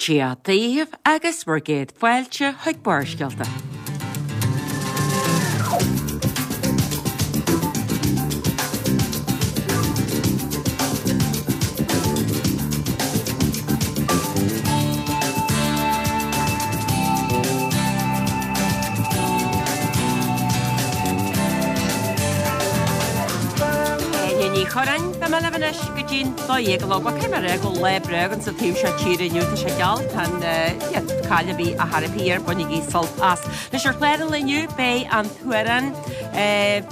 Dia daoibh agus bhur gcéad fáilte chuig Barrscéalta. Áine Ní Churráin, beidh mé libh anois go dtí'n 12 a chlog. Bhuel, caithfidh mé a rá go bhfuil lá breá againn sa taobh seo tíre inniu. Tá sé geal, tá an caill a bhí a thairfí air, bainigí sult as. Anois ar chlár an lae inniu beidh an t-amhrán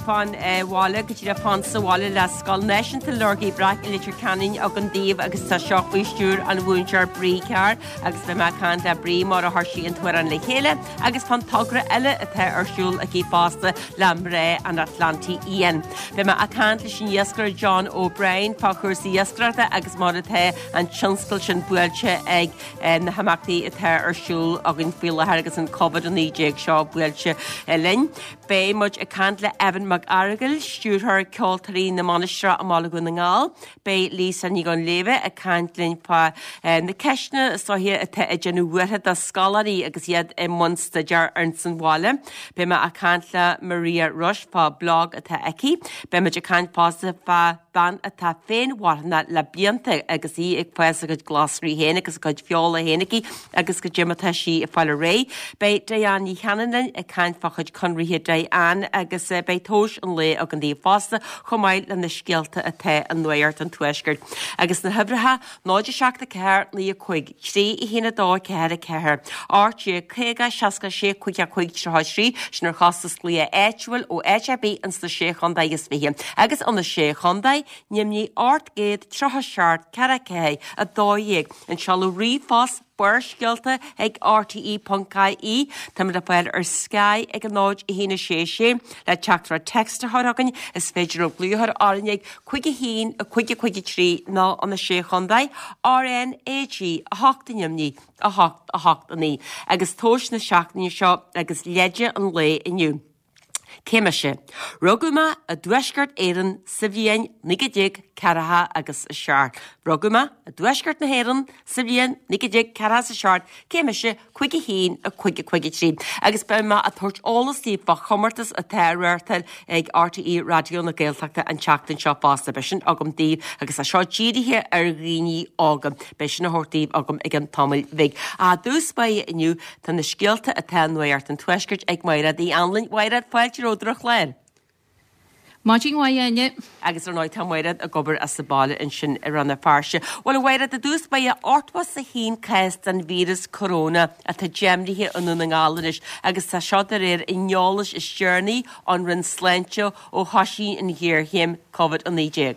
fán bhaile, go díreach fán sa bhaile le Scoil Náisiúnta Lorgaí Breac i Leitir Ceanainn againn daoibh agus tá seo faoi stiúir an mhúinteoir Bree Carr agus beidh mé ag caint le Bree mar a chuir sí an t-amhrán le chéile agus fán togra eile atá ar siúl aici fosta le Mná an Atlantaigh Fhiáin. Beidh mé ag caint leis an iascaire John O'Brien fá chúrsaí iascaireachta agus mar atá an tionscal sin buailte ag na himeachtaí atá ar siúl againn faoi láthair agus an Covid-19 seo buailte linn. Beidh muid ag caint le Evan Mac Fhearghail, stiúrthóir Ceoltóirí na Mainistreach i mBaile Dhún na nGall. Beidh Lisa Ní Dhuinnshléibhe ag caint linn fá na ceisteanna is dóiche atá ag déanamh buartha do scoláirí agus iad i mbun staidéir ins an bhaile. Beidh mé ag caint le Maria Rush fá blog atá aici. Beidh muid ag caint fosta fá bhean atá féinmharthanach le blianta agus í ag fás a cuid glasraí féin agus a cuid feola féin aici agus goidé mar atá sí ag fáil ar aghaidh. Beidh Diane Ní Chanainn linn ag caint fá chuid conraithe Diane agus beidh tomhais an lae againn daoibh fosta chomh maith le na scéalta atá i Nuacht an Tuaiscirt. Agus na huimhreacha, 0 7 4 9 5 3 1 2 4 4 18 50 66 55 33, sin ar chostas glaoch áitiúil ó áit ar bith ins na Sé Chontae is Fiche. Agus ó na Sé Chontae, Nimhní 837 4 4 12, an seoladh ríomhphost, Barrscéalta ag rte.ie. Táimid le fáil ar Sky ag 0 1 6 6 le teachtaireacht text a chur chugainn. Is féidir libh glaoch a chur orainn ag 5 1 5 5 3 nó ó na Sé Chontae, RnaG 8 Nimhní 8 8 9. Agus tomhais na seachtaine seo agus leide an lae inniu. Cé mise? Rugadh mé i dTuaisceart Éireann sa bhliain 1947 agus 7. Rugadh mé i dTuaisceart na hÉireann sa bhliain 1947. Cé mise? 5 1 5 5 3. Agus beidh mé ag tabhairt eolas daoibh fá chomórtas atá á reáchtáil ag RTÉ Raidió na Gaeltachta an tseachtain seo fosta. Beidh sin agam daoibh agus tá seo dírithe ar dhaoine óga. Beidh sin á thabhairt daoibh agam i gceann tamaill bhig. I dtús báire inniu Tá na scéalta atá i Nuacht an Tuaiscirt ag Mairéad Uí Anluain. Mairéad, fáilte romhat ar an chlár. Maidin mhaith, a Áine. Agus ar ndóigh tá Mairéad ag obair as an baile ansin i Rann na Feirste. Bhuel, a Mhairéad, i dtús báire, 81 cás den víreas coróna atá deimhnithe i nDún na nGall anois agus tá seo de réir an eolais is deireanaí ón Roinn Sláinte ó thoisigh an ghéarchéim Covid-19.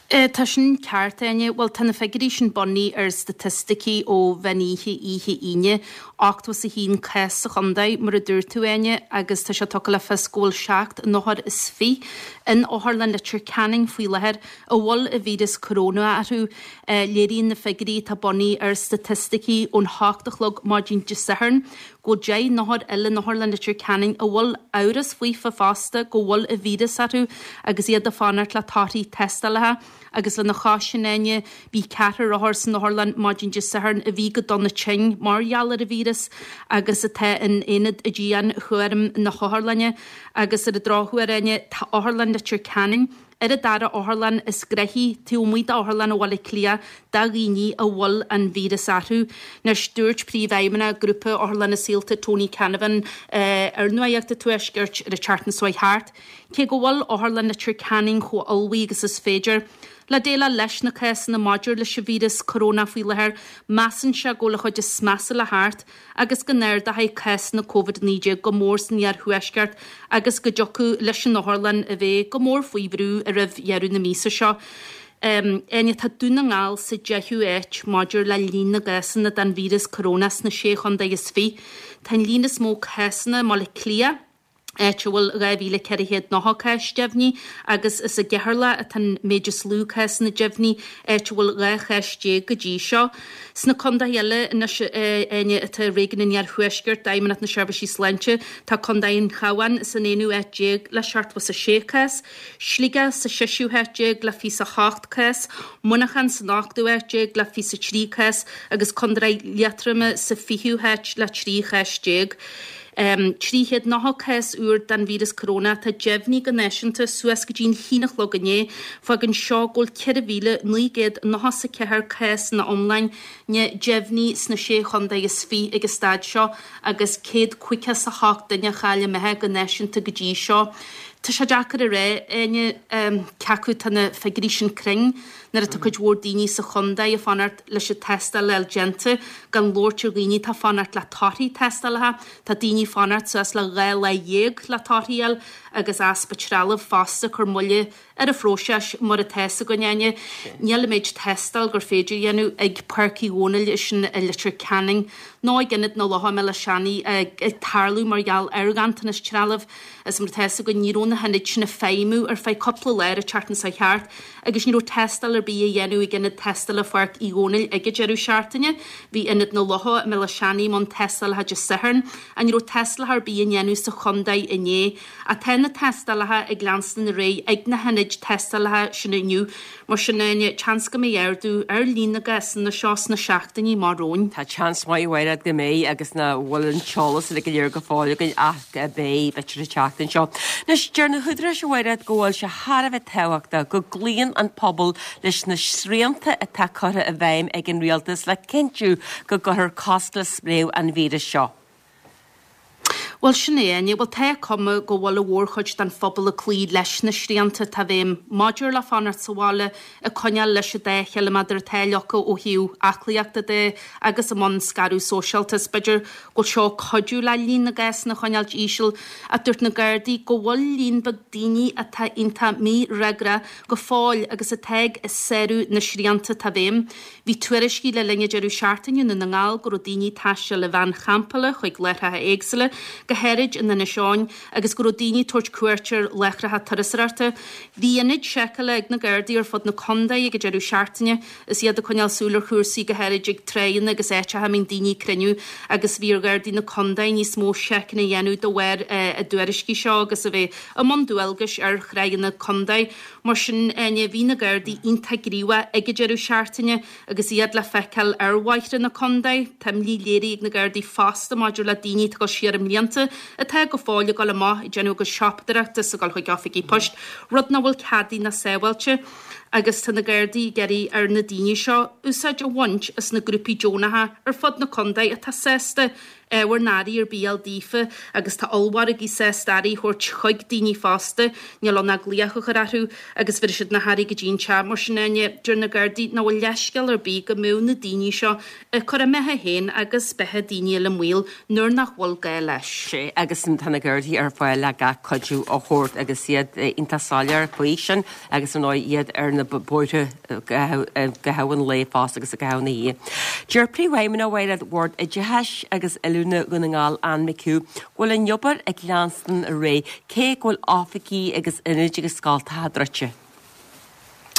Tá sin ceart, a Áine. Bhuel, tá na figiúirí sin bunaithe ar staitisticí ó mheán oíche oíche Aoine. 81 cás sa chontae, mar a dúirt tú, a Áine, agus tá sé tugtha le fios go bhfuil seacht n-othar is fiche in Otharlann Leitir Ceanainn faoi láthair a bhfuil an víreas coróna orthu. Léiríonn na figiúirí atá bunaithe ar staitisticí ón hocht a chlog maidin Dé Sathairn go bhfuil 10 n-othar eile in Otharlann Leitir Ceanainn a bhfuil amhras faofa fosta go bhfuil an víreas orthu agus iad ag fanacht le torthaí tástálacha agus lena chois sin, a Áine, bhí ceathrar othar san otharlann maidin Dé Sathairn a bhí go dona tinn mar gheall ar an víreas agus atá in aonad dianchúraim na hotharlainne agus ar an drochuair, a Áine, tá Otharlann Leitir Ceanainn ar an dara otharlann is gnoithí taobh amuigh d'Otharlann Bhaile Átha Cliath do dhaoine a bhfuil an víreas orthu. Anois, dúirt Príomhfheidhmeannach Grúpa Otharlanna Saolta Tony Canavan ar Nuacht an Tuaiscirt ar an tseachtain seo chuaigh thart, cé go bhfuil Otharlann Leitir Ceanainn chomh ullmhaithe agus is féidir le déileáil leis na cásanna maidir leis an víreas corónach faoi láthair, measann sé go bhfuil an chuid is measa le theacht. agus go n-ardóidh cásanna Covid-19 go mór san iarthuaisceart agus go dtiocfadh leis an otharlann a bheith go mór faoi bhrú roimh dheireadh na míosa seo. Áine, tá Dún na nGall sa deichiú háit maidir le líon na gcásanna den víreas corónach sna Sé Chontae is Fiche. Tá an líon is mó cásanna i mBaile Átha Cliath. áit a bhfuil 2,490 cás deimhnithe, agus is i gCeatharlach atá an méid is lú cásanna deimhnithe, áit a bhfuil 12 chás go dtí seo. Sna contaetha eile anois, Áine, atá i Réigiún an Iarthuaiscirt d'Fheidhmeannacht na Seirbhísí Sláinte, tá Contae an Chabháin san aonú háit déag le 76 cás, Sligeach sa seisiú háit déag le 28 cás, Muineachán san ochtú háit déag le 23 cás agus Contae Liatroma sa fichiú háit le 13 chás. 390 cás úr den víreas corónach atá deimhnithe go náisiúnta suas go dtí'n haon a chlog inné. Fágann seo go bhfuil 4,994 cás ina iomláine deimhnithe sna Sé Chontae is Fiche ag an staid seo agus 158 duine a chaill a mbeatha go náisiúnta go dtí seo. Tá sé deacair a rá, Áine, cé acu tá na figiúirí sin cruinn. Nuair atá cuid mhór daoine sa chontae ag fanacht leis an tástáil a fháil déanta, gan labhairt ar dhaoine atá ag fanacht le torthaí tástálacha, tá daoine ag fanacht suas le 12 lá le torthaí a fháil agus easpa trealaimh fosta ag cur moille ar an phróiseas mar atá fhios againn, Áine. Níl an méid tástáil gur féidir a dhéanamh ag Páirc Uí Dhónaill is sin i Leitir Ceanainn nó ag Ionad na Locha i mBéal Átha Seanaidh ag tarlú mar gheall ar ghanntanas trealaimh. Is mar atá fhios againn ní raibh na hionaid sin ag feidhmiú ar feadh cúpla lá ar an tseachtain seo thart agus ní raibh tástáil ar bith á dhéanamh ag Ionad Tástála Pháirc Uí Dhónaill ag an deireadh seachtaine. Bhí Ionad na Locha i mBéal Átha Seanaidh i mbun tástálacha Dé Sathairn ach ní raibh tástálacha ar bith á ndéanamh sa chontae inné. Ach tá na tástálacha ag leanstan ar aghaidh ag na hionaid tástálacha sin inniu. Mar sin, seans go mbeidh ardú ar líon na gcásanna seo sna seachtainí amach romhainn. Tá seans maith, a Mhairéad, go mbeidh agus nach bhfuil an t-eolas uilig go léir go fóill againn ach beidh, b'fhéidir an tseachtain seo. Anois, deir na húdaráis, a Mhairéad, go bhfuil sé thar a bheith tábhachtach go gcloíonn an pobal leis na srianta atá curtha i bhfeidhm ag an rialtas le cinntiú go gcuirfear cosc le spréadh an víris seo. Bhuel, sin é, Áine. Bhuel, tá cuma go bhfuil an mhórchuid den phobal ag cloí leis na srianta atá i bhfeidhm maidir le fanacht sa bhaile, ag coinneáil leis an dá chiliméadar atá leagtha ó thaobh aclaíochta de agus i mbun scaradh sóisialta. Is b'fhéidir go bhfuil seo ag cuidiú le líon na gcásanna a choinneáilt íseal, ach dúirt na Gardaí go bhfuil líon beag daoine atá iontach mífhreagrach go fóill agus atá ag sárú na srianta atá i bhfeidhm. Bhí tuairiscí le linn an deireadh seachtaine i nDún na nGall go raibh daoine ag taisteal i veain champála chuig láithreacha éagsúla, go háirid in Inis Eoghain, agus go raibh daoine ag tabhairt cuairt ar láithreacha turasóireachta. Bhí ionaid seiceála ag na Gardaí ar fud na contae ag an deireadh seachtaine is iad ag coinneáil súil ar chúrsaí, go háirid ag tráigheanna agus áiteacha a mbíonn daoine ag cruinniú agus bhí ar Ghardaí na contae níos mó seiceanna a dhéanamh de bharr a dtuairiscí seo agus a bheith i mbun dualgais ar thráigheanna contae. Mar sin, Áine, bhí na Gardaí iontach gníomhach ag an deireadh seachtaine agus iad le feiceáil ar bhóithre na contae. Tá imní léirithe ag na Gardaí fosta maidir le daoine atá ag dul siar i mblianta atá go fóill ag dul amach ag déanamh a gcuid siopadóireachta is ag dul chuig oifigí poist, rud nach bhfuil ceadaithe ná sábháilte. Agus tá na Gardaí ag iarraidh ar na daoine seo úsáid a bhaint as na grúpaí deonacha ar fud na contae atá sásta ábhar na earraí ar bith a fháil daofa agus tá ollmhargaí sásta earraí a thabhairt chuig daoine fosta, níl ann ach glaoch a chur orthu agus bhéarfaidh siad na hearraí go dtí an teach. Mar sin, Áine, deir na Gardaí nach bhfuil leithscéal ar bith go mbeadh na daoine seo ag cur a mbeatha féin agus beatha daoine eile i mbaol nuair nach bhfuil gá leis. Sea, agus tá na Gardaí ar fáil le gach cuidiú a thabhairt agus iad iontach soiléir faoi sin agus ar ndóigh iad ar na bóithre i gcaitheamh an lae fosta agus i gcaitheamh na hoíche. Deir Príomhfheidhmeannach Mhairéad Bhord Oideachais agus Oiliúna Dhún na nGall, Ann McHugh, go bhfuil an obair ag leanstan ar aghaidh cé go bhfuil oifigí agus ionaid agus scoltacha druidte.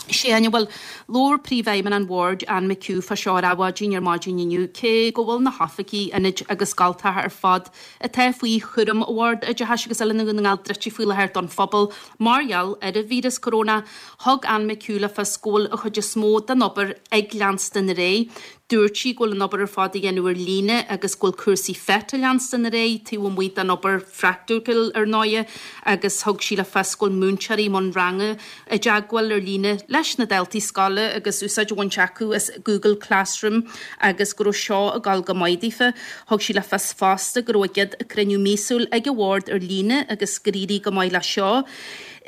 Sea, Áine, bhuel, labhair Príomhfheidhmeannach an Bhoird, Ann McHugh, fá seo ar Adhmhaidin ar maidin inniu, cé go bhfuil na hoifigí, ionaid agus scoltacha ar fad atá faoi chúram Bhord Oideachais agus Oiliúna Dhún na nGall druidte faoi láthair don phobal mar gheall ar an víreas corónach, Thug Ann McHugh le fios go bhfuil an chuid is mó den obair ag leanstan ar aghaidh. Dúirt sí go bhfuil an obair ar fad á dhéanamh ar líne agus go bhfuil cúrsaí FET ag leanstan ar aghaidh taobh amuigh den obair phraiticiúil ar ndóighe agus thug sí le fios go bhfuil múinteoirí i mbun ranga i dteagmháil ar líne leis na daltaí scoile agus úsáid á bhaint acu as Google Classroom agus go raibh seo ag dul go maith daofa. Thug sí le fios fosta go raibh a gcéad cruinniú míosúil ag an bhord ar líne agus gur éirigh go maith leis seo.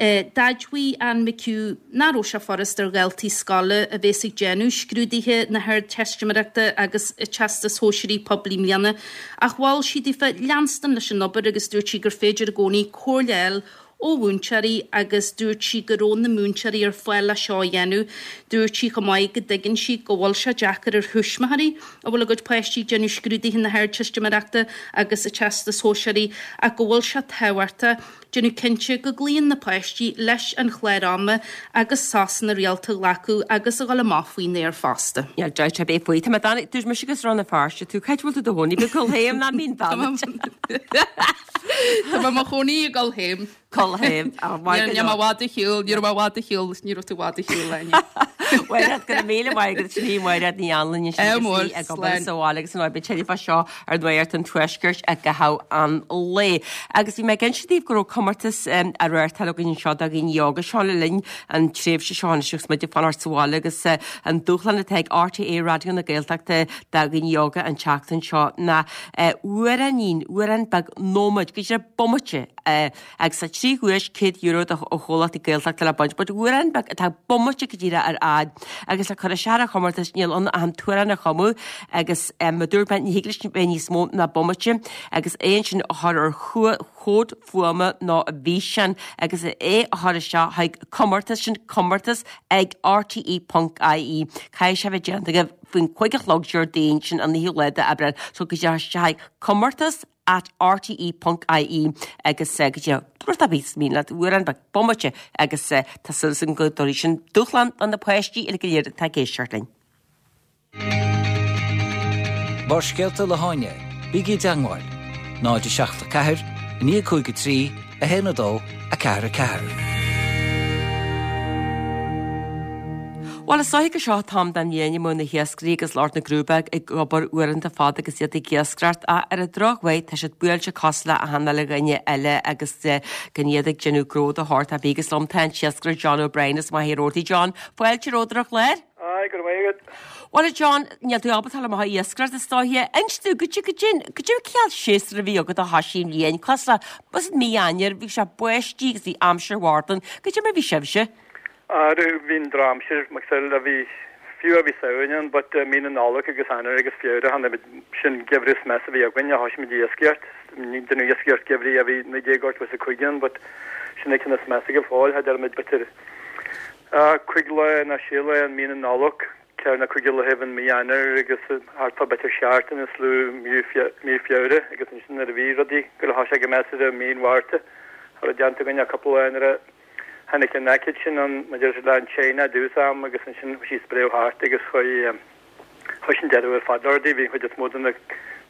D'admhaigh Ann McHugh nach raibh sé furast ar dhaltaí scoile a bhéas ag déanamh scrúduithe na hArdteistiméireachta agus an Teastais Shóisearaigh Poiblí i mbliana ach mhol sí daofa leanstan leis an obair agus dúirt sí gur féidir i gcónaí comhairle a fháil. ó mhúinteoirí agus dúirt sí go raibh na múinteoirí ar fáil le seo a dhéanamh. Dúirt sí chomh maith go dtuigeann sí go bhfuil sé deacair ar thuismitheoirí a bhfuil a gcuid páistí ag déanamh scrúduithe na hArdteistiméireachta agus an Teastais Shóisearaigh ach go bhfuil sé tábhachtach déanamh cinnte go gcloíonn na páistí leis an chlár ama agus sosanna rialta a ghlacadh agus a dhul amach faoin aer fosta. Níl dabht ar bith faoi. Tá mé dána, dúirt mise agus Rann na Feirste tú, cá háit a bhfuil tú i do chónaí, go Cúil Thaom ná Mín Bheannacht. Tá mé i mo chónaí i gCúil Thaom. Cúil Thaom. Níl mé i bhfad ar shiúl, ní raibh mé i bhfad ar shiúl, ní raibh tú i bhfad ar shiúl, Áine. Mairéad, go raibh míle maith agat, sin í Mairéad Ní Anluain ansin agus í ag obair sa bhaile agus an obair teilifíse seo ar Nuacht an Tuaiscirt i gcaitheamh an lae. Agus bhí mé ag inse daoibh go raibh comórtas á reáchtáil againn anseo do dhaoine óga seo le linn an tréimhse seo anois agus muid ag fanacht sa bhaile agus an dúshlán atá ag RTÉ Raidió na Gaeltachta do dhaoine óga an tseachtain seo ná amhráinín, amhrán beag nóiméad, go díreach bomaite, agus tá 3 dhuais €100 do chomhlachtaí Gaeltachta le baint, but amhrán beag atá bomaite go díreach ar fhad agus le cur isteach ar an chomórtas níl ann ach an t-amhrán a chumadh agus mar a dúirt mé ní thig leis bheith níos mó ná bomaite agus é ansin a chur ar chomhad fuaime nó físeán agus é a chur isteach chuig comórtas sin comórtas ag rte ponc ie. Caithfidh sé bheith déanta agaibh faoin 5 a chlog Déardaoin sin an 9ú lá d'Aibreán so go díreach isteach chuig comórtas at rte ponc ie agus go dtí rud ar bith is mian leat amhrán beag bomaite agus tá súil againn go dtabharfaidh sin dúshlán do na páistí uile go léir atá ag éisteacht linn. Barrscéalta le hÁine, bígí i dteangmháil, 0 7 4 9 5 3 1 2 4 4. Bhuel, is dóiche gur seo an t-am den bhliain a mbeadh na hiascairí agus lucht na gcrúbóg ag obair uaireanta fada agus iad ag iascaireacht ach ar an drochuair tá siad buailte cosúil le achan uile dhuine eile agus gan iad ag déanamh gnó de shórt ar bith agus liom tá an t-iascaire John O'Brien as Machaire Rabhartaigh. John, fáilte romhat ar an chlár. Aye, go raibh maith agat. Bhuel a John, níl tú ábalta dul amach ag iascaireacht is dóiche. Inis domh, goidé, goidé, goidé an cineál séasúr a bhí agat ó thoisigh an bhliain, cosúil le, was it mí Eanáir, bhí sé báistí agus bhí aimsir mharbh ann, goidé mar a bhí sibhse? Arú, bhí an drochaimsir, mar gheall, a bhí, fiú a bhí Samhain ann, but mí na Nollag agus Eanáir agus Feabhra, tháinig muid, sin geimhreadh is measa a bhí againn, a thoisigh muid ag iascaireacht, déanamh iascaireacht geimhridh a bhí 1985 ann, but sin é ceann is measa go fóill, cha dearna muid b'fhéidir 5 lá nó 6 lá in mí na Nollag, ceathair nó cúig laethaibh in mí Eanáir agus thart fá b'fhéidir seachtain is lú mí Feabhra agus ansin nuair a bhí rudaí go le thoisigh go measartha mí an Mhárta, cha raibh déanta againn ach cúpla lá nuair a tháinig an aicíd sin ann maidir le an tSéin i dtús am agus ansin chuaigh sí ag spréadh thart agus chuaigh Chuir sin deireadh ar fad le rudaí. Bhí an chuid is mó de na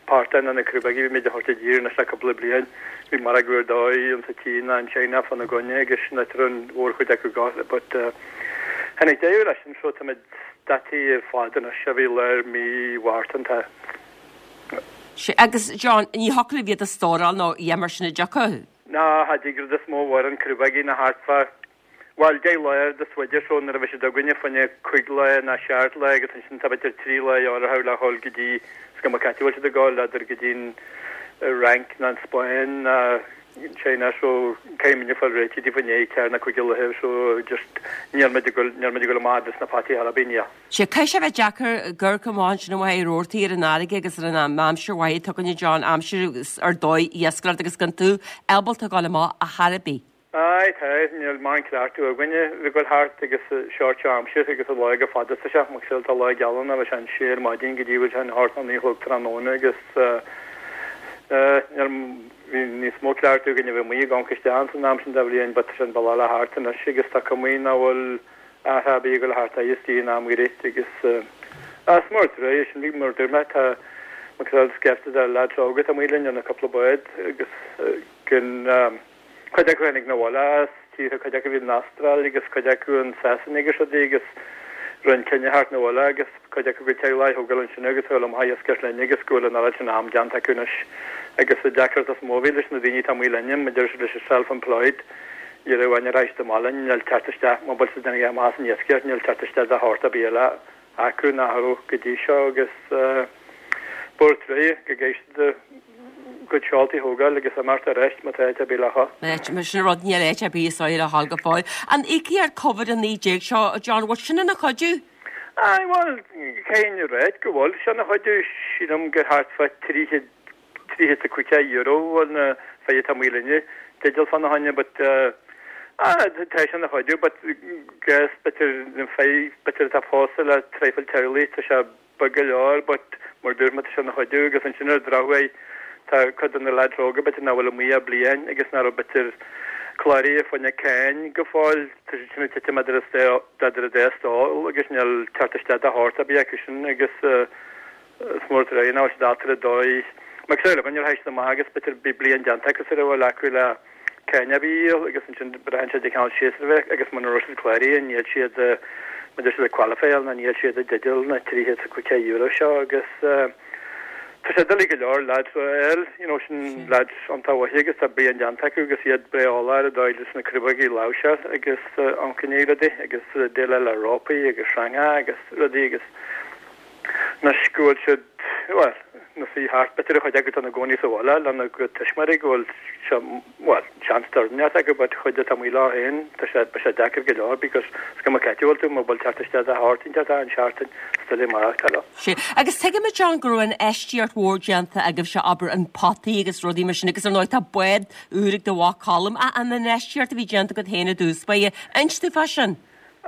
portáin nó na crúbógaí a bhí muid a thabhairt i dtír anois le cúpla bliain. Bhí margadh ar dóigh insa tSín ná an tSeina fána gcoinne agus sin áit a raibh an mhórchuid acu go but tháinig deireadh leis sin so táimid stadtaí ar fad anois ó bhí lár mí Mhárta an tá. Sea, agus John, ní thiocfadh libh iad a stóráil nó a dhath mar sin an dtiocfadh? Ná, cha dtig rud is mó mhórán crúbógaí ná thart fá Bhuel, 10 lá ar do swider so nuair a bheidh siad againne fá choinne cuig lá ná seacht lá agus ansin tá b'fhéidir trí lá orthu le dhul go dtí is cuma cá háit a bhfuil siad ag gabháil, n'fheadar go dtí an Fhrainc ná an Spáinn ná an China so caithfidh muidne fáil réitithe taobh i ndiaidh ceathair ná cuig laethe so just níl muid ag dul níl muid ag dul amach dos na fataí chor ar bith níl. Sea, caithfidh sé bheith deacair ag amharc amach ansin i Machaire Rabhartaigh ar an fharraige agus ar an aimsir mhaith atá againne John, aimsir ar dóigh iascaireacht agus gan tú ábalta dul amach ar chor ar bith. Aye, tá, níl mórán cleachtadh againne a bheith ag goil thart agus seort seo aimsir agus an lá go fada sa seach, mar tá lá geal ann, bheadh sé an sé ar maidin go dtí bhfuil sé an hocht nó naoi a chlog tráthnóna agus níl, bhí níos mó cleachtadh againne a bheith amuigh ag amharc isteach ann san am sin de bhliain but tá sé an bealach le thart anois agus tá cuma nach bhfuil athrú ar bith ag goil thart is dtí an am gairid agus is mór truaigh é sin, bhí mar dúirt mé tá mar scaifte de lads óga atá amuigh linn ar na cúpla bád agus gan Cuid acu tháinig 'na bhaile as tíortha, cuid acu bhí in Astráil agus cuid acu in Sasana agus rudaí agus rinne an cinneadh theacht 'na bhaile agus cuid acu a gcuid teaghlaigh a thógáil ansin agus a ghabháil amach ag iascaireacht linn agus go bhfuil an oiread sin am déanta acu anois agus an deacracht is mó a bhí leis na daoine atá amuigh linne, mar deir siad leis an self-employed, ní raibh aon ráis do maith linn, níl teacht isteach, má bhfuil siad ag déanamh amach as an iascaireacht, níl teacht isteach de shórt ar bith eile acu nach raibh go dtí seo agus b'fhearr truaighe go gcaithfidh siad a gcuid seoltaí a thógáil agus imeacht arís má tá áit ar bith le dhul. Mar sin an rud, níl áit ar bith is dóigh le dhul go fóill. An íocaíocht Covid-19 seo, a John, bhfuil sin ina chuidiú? Aye, bhuel, caithfidh a ráit go bhfuil sé ina chuidiú. Sílim gur thart fá 300, €350 bhfuil na fir atá amuigh linne. dteideal fána choinne but ah tá sé ina chuidiú but guess b'fhéidir na fir b'fhéidir atá pósta le traidhfil teaghlaigh tá sé beag go leor but mar dúirt mé tá sé ina chuidiú agus ansin ar an drochuair tá cuid de na leaids óga b'fhéidir nach bhfuil amuigh ach bliain agus nach raibh b'fhéidir cláraithe fá choinne cáin go fóill tá siad sin ag titim idir idir an dá stól agus níl teacht isteach de shórt ar bith acu sin agus Is mór an truaighe nach bhfuil siad ábalta ar an dóigh mar cosúil le níor théid siad amach agus b'fhéidir bhí bliain déanta acu sar a bhfuil acu le cáin ar bith a dhíol agus ansin braitheann sé de cheann séasúr a bheith agus muna raibh siad cláraithe níl siad muna siad ag qualify-áil ná níl siad i dteideal na €350 seo agus tá sé doiligh go leor lads a fháil you know sin lads iontach mhaithe agus tá bliain déanta acu agus iad breá eolach ar an dóigh leis na crobhaigí a láimhseáil agus ioncainní rudaí agus déileáil le rópaí agus sreanga agus rudaí agus Anois go bhfuil siad, bhuel, ina suí thart, b'fhéidir an chuid acu atá ina gcónaí sa bhaile lena gcuid tuismitheoirí go bhfuil sé, bhuel, seans dornáíocht acu but chuid atá amuigh leo féin, tá sé, beidh sé deacair go leor because is cuma cá háit a bhfuil tú, mura bhfuil teacht isteach de shórt inteacht achan seachtain, is doiligh maireachtáil leo. Sea. Agus tuigimid, John, go raibh infheistíocht mhór déanta agaibhse, abair, in potaí agus rudaí mar sin agus ar ndóigh tá bád úr ag do mhac Colm. Ach an infheistíocht a bhí déanta agat féin i dtús báire, inis dúinn fá sin.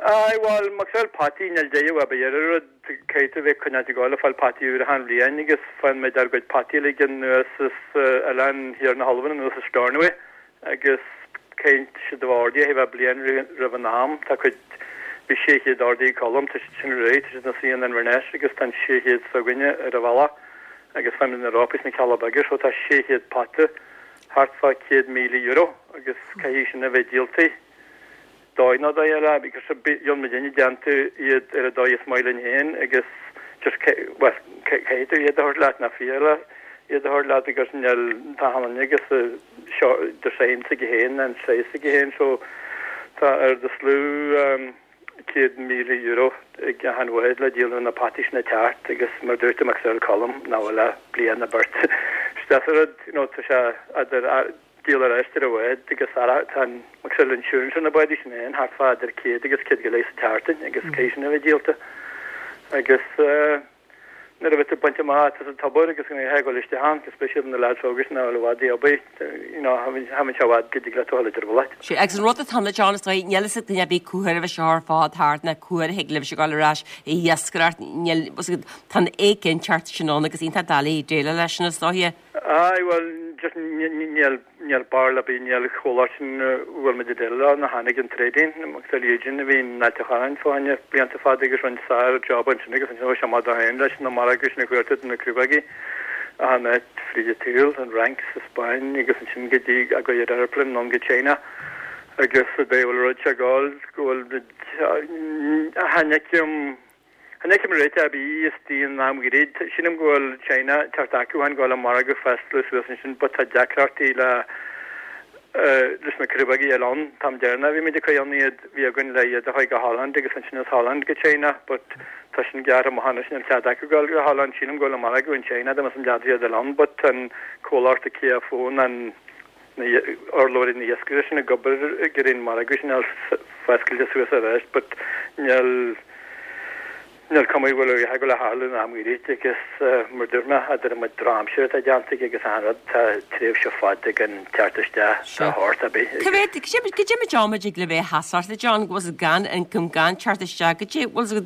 Aye, bhuel, mar gheall potaí, níl deireadh ar bith ar an rud, caithfidh tú bheith ag coinneáilt ag gabháil ag fáil potaí úr achan bhliain agus faigheann muid ár gcuid potaí uilig anuas as oileán thiar na hAlban anuas as Stornoway agus caithfidh siad a bheith ordaithe a bheith bliain roimh an am. Tá cuid, bhí 600 ordaithe ag Colm, tá siad sin réidh, tá siad ina suí in Inverness agus tá an 600 s'againne ar an bhealach agus faighimid na rópaí sna Cealla Beaga so tá 600 pota thart fá €100,000 agus caithfidh sin a bheith díolta. dóigh nó dóigh eile because gheobhaidh muidinne déanta iad ar an dóigh is maith linn féin agus just bhuel caithfidh tú iad a thabhairt leat ná fiú iad a thabhairt leat agus níl tá ann agus seo design s'aige féin an size s'aige féin so tá ar do slú €100,000 ag achan bhád le díol na potaí sin ag teacht agus mar dúirt tú Maxwell Colm nach bhfuil ach bliain nó beirt isteach sa rud you know tá sé idir díol ar ais ar an bhád agus tá an Maxwell insurance ar na bádaí sin féin thart fá idir 100 agus 100 go leith sa tseachtain agus caithfidh sin a bheith díolta agus nuair a bheidh tú bainte amach as an tobar agus go mbeidh ag dul isteach ann go speisialta na lads óga sin nach bhfuil i bhfad ag obair you know chan fheil sé i bhfad go dtig leat a dhul idir bhulait. Sea, agus an rud atá ann John is dóigh, níl fhios ag duine ar bith cá huair a bheidh seo ar fad thart ná cá huair a thig libhse a ghabháil ar ais ag iascaireacht, níl, tá an éiginnteacht sin ann agus iontach doiligh déileáil leis sin is dóiche. Aye, bhuel, just níl, níl barúil ar bith, níl comhlacht sin a bhfuil muid ag déileáil leo, ná tháinig an trading, Maxwell Eugene a bhí in Ailt an Chorráin fá choinne blianta fada agus rinne sár-job ansin agus ansin chuaigh sé amach dó féin leis na margaidh sin a chuartú do na crobhaigí achan áit fríd an tsaol, an Fhrainc, sa Spáinn agus ansin go dtí a gcuid ar aeroplane anonn go China agus an dóigh a bhfuil an rud seo ag gabháil go bhfuil muid, chan fheicim. Chan fheicim réiteach ar bith istigh in am ghairid. Sílim go bhfuil China ag teacht acu féin go bhfuil an margadh foscailte suas ansin but tá deacrachtaí le leis na crobhaigí eile ann. An t-am deireanach bhí muid ag cur ann iad bhí againn le iad a chur go Holland agus ansin as Holland go China but tá sin gearrtha amach anois níl cead acu dul go Holland. Sílim go bhfuil an margadh in China dá mbeadh an dead iad eile ann but tá an comhlacht a KFO an na urlabhraí na hiascaire sin ag obair ag iarraidh an margadh sin a fháil foscailte suas arís but níl níl cuma go bhfuil a dhath ag gabháil a tharlú in am gairid agus mar dúirt mé idir an méid drochaimsire atá déanta aige agus achan rud tá tréimhse fada gan teacht isteach de shórt ar bith Cá mhéad goidé méid ama a dtig le bheith sheasamh John go bhfuil gan income gan teacht isteach goidé bhfuil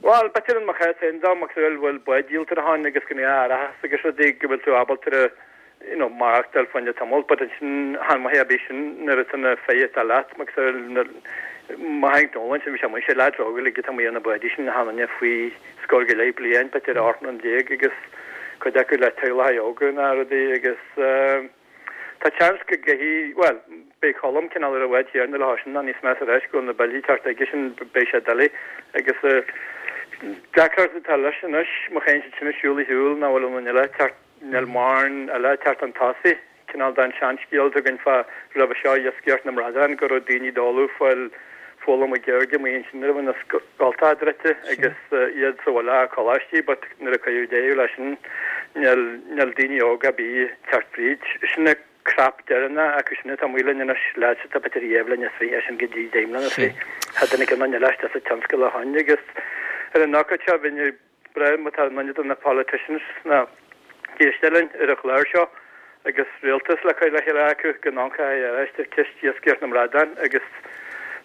Bhuel, b'fhéidir in mo chás féin dá mbeadh bhfuil bád díolta ann agus go mbeadh árachas agus rudaí go bhfuil tú ábalta you know, maireachtáil fá choinne tamall, but ansin chan maith ar bith sin nuair atá na fir atá leat, mar mo Hank Nolan sin bhí sé amuigh, sé leaids óga uilig atá amuigh ar na bádaí sin, achan duine faoi scór go leith bliain, b'fhéidir 18 mbliana agus cuid acu le teaghlacha óga ná rudaí agus tá chance go gcaithfidh, bhuel, beidh Colm cineál ar an bhád chéanna leo sin ná níos measa arís go bhfuil na billí ag teacht aige sin beidh sé doiligh agus deacracht atá leis anois má théann siad sin ag siúl a shiúl nach bhfuil aon duine eile ag teacht Níl mórán eile ag teacht chun tosaigh, cineál den seanscéal atá againn fá roimhe seo, iascaireacht na mbradán, go raibh daoine ag dul ag fáil foghlaim na Gaeilge amuigh ansin nuair a bhí na scoltacha druidte agus iad sa bhaile ag coláistí but nuair a cuireadh deireadh leis sin níl níl daoine óga ar bith ag teacht fríd. Sin an crop deireanach acu sin atá amuigh linn anois, leaids atá b'fhéidir dhá bhliain is fiche, sin go dtí deich mbliana is fiche. Tá duine éigin eile istigh sa tionscal ó shoin agus ar an ócáid seo bhí breá má tá duine de na politicians ag éisteacht linn ar an chlár seo. agus rialtas le cur le chéile acu go n-amharcfaí ar ais ar cheist iascaireacht na mbradán agus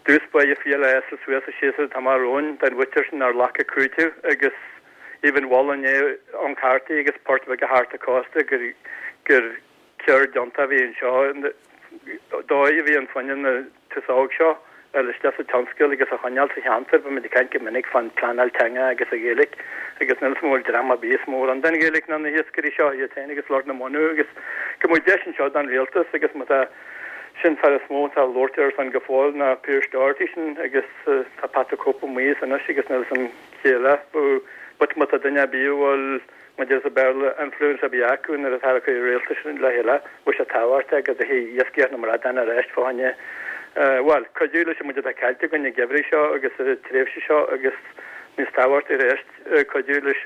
dtús báire fial a fhásfadh suas sa séasúr atá amach romhainn don mhuintir sin nár ghlac a cúiteamh agus even mhol inné an Cartaí agus poirt bheaga thart an cósta gur gur ceird iontach a bhí anseo, dóigh a bhí ann fá choinne na tús óg seo a fháil isteach sa tionscal agus a choinneáil sa cheantar. Bímid ag caint go minic fán pleanáil teanga agus an Ghaeilge agus níl 'fhios a'm an bhfuil dream ar bith is mó ar an den Ghaeilge ná na hiascairí seo iad féin agus lucht na mbunú agus go mbeadh deis anseo don rialtas agus má tá sin fear is mó atá ag labhairt ar son go fóill ná Pearse Doherty sin agus tá Patrick Hope amuigh as anois agus níl 'fhios a'm cé eile but má tá duine ar bith a bhfuil Maidir le Béarla, influence a bhí acu nuair atá ag cur rialtais le chéile, bhí sé tábhachtach go dtiocfaidh iascaireacht na mbradán ar ais fá choinne, bhuel, cuidiú leis an méid atá caillte againn an geimhreadh seo agus sa tréimhse seo agus níos tábhachtaí arís, cuidiú leis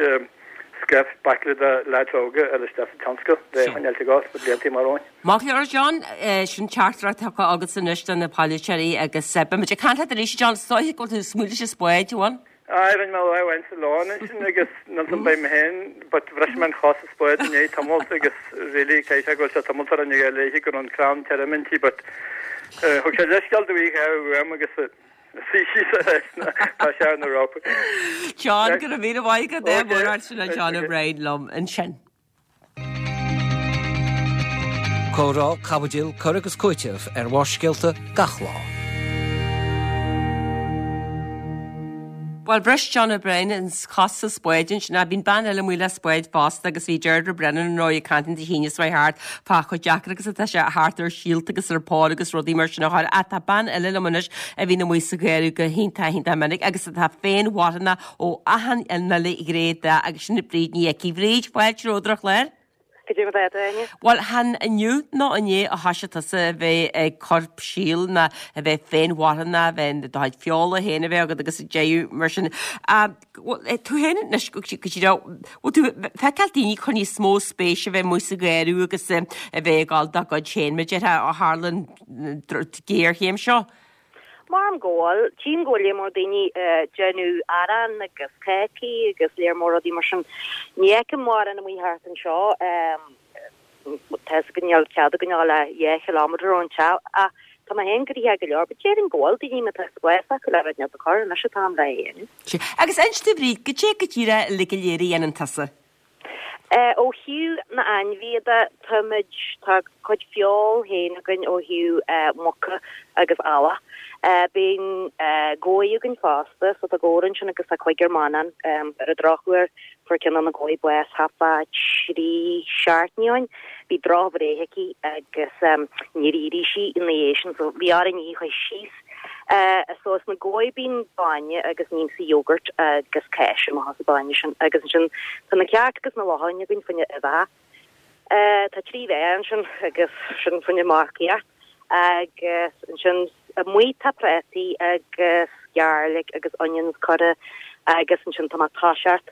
scaifte baicle de leaids óga a fháil isteach sa tionscal le choinneáil ag gabháil sna blianta amach romhainn. Maith go leor, John, sin teachtaireacht tugtha agatsa anois do na polaiteoirí agus beimid ag caint leat arís, John, is dóiche go bhfuil tú ag smaoineamh leis an spáid, an bhfuil? Aye, rinne mé lá amháin sa lán ansin agus níl 'fhios a'm beidh mé féin but bhris mé an chos sa spád i ndiaidh tamalt agus really caithfidh sé go bhfuil sé tamalt ar an ghael léithe go raibh an crann tirim inti but thug sé leithscéal do bhí uaim agus suí síos ar ais tá sé ar na rópaí. John, go raibh míle maith agat, é mór sin é John O'Brien liom ansin. Comhrá, caibidil, cur agus cúiteamh ar Bharrscéalta gach lá. Bhuel, bhris John O'Brien an chos sa spáid ansin ach bíonn bean eile amuigh le spáid fosta agus bhí Deirdre Brennan ar ndóigh ag caint an Dé hAoine seo thart fá chomh deacair agus atá sé theacht ar síolta agus ar pár agus rudaí mar sin a chur ach tá bean eile liom anois a bhíonn amuigh sa gharradh go hiontach iontach minic agus atá féinmharthanach Ó achan uile ghné de agus sin Bríd Ní Icí. Bhríd, fáilte romhat ar an chlár. Cad é mar atá tú, a Áine? Bhuel, chan inniu nó inné a thoisigh tusa a bheith ag cur síl ná a bheith féinmharthanach, a bheith do chuid feola féin a bheith agat agus deireadh mar sin. Bhuel, tú féin anois go díreach, bhfuil tú ag feiceáil daoine ag cur níos mó spéise a bheith amuigh sa gharradh agus a bheith ag gabháil dá gcuid féin, mar a déarfá, ó tharla an ghéarchéim seo? Maram go bhfuil. Tchím go bhfuil léar mór daoine ag déanamh arán agus cácaí agus léar mór rudaí mar sin. Ní fheicim mórán amuigh thart anseo. Tá fhios againn níl cead againn a dhul ach 2 chileámeter ón teach ach tá mé féin gnoitheach go leor. But déarfainn go bhfuil daoine má tá spás acu le rud inteacht a chur, anois an t-am le é a dhéanamh. Sea. Agus inis domh Bhríd, goidé go díreach uilig go léir a dhéanann tusa? Ó thaobh na n-ainmhithe de, táimid, tá cuid feoil féin againn ó thaobh muca agus eallach. Bíonn gabha againn fosta, so tá gabhar ansin agus tá cúigear meannáin. Ar an drochuair, fuair ceann de na gabhaí bás thart fá thrí seachtainí ó shin. Bhí drochbhreith aici agus níor éirigh sí ina dhiaidh sin, so bhí orainn í a chur síos. So as na gabhaí bíonn bainne agus nímsa yogurt agus cáis amach as an bainne sin agus ansin tá na cearca agus na lachain againn fá choinne uibheacha. Tá 3 bheá ansin agus sin fá choinne marcaíocht agus ansin amuigh tá prátaí agus garlic agus onions curtha agus ansin tá mé ag toiseacht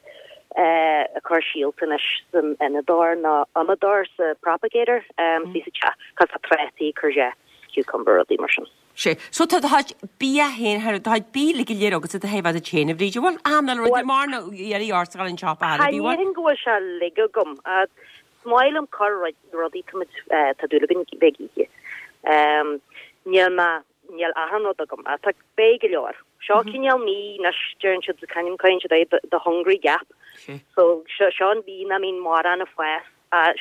ag cur síolta anois san fhíonadóir nó iomadóir sa propagator sa teach cos tá prátaí courgette cucumber rudaí mar sin. Sea. So tá do chuid bia féin, tá do chuid bia uilig go léir agatsa do thaobh duit féin, a Bhríd. Bhuel, an bhfuil rud mar nó iarraidh ort a dhul an siopa thar a bhí, bhuel? Cha ndéarfainn go bhfuil sé uilig agam. Is maith liom cur rudaí, tá muid, tá dúil againn bheith ag ithe. Níl mé, níl achan rud agam. Tá, beidh go leor. Seo cineál mí anois, deireann siad, c'ainm, caitheann siad é, the hungry gap. So seo an mhí nach mbíonn mórán ag fás.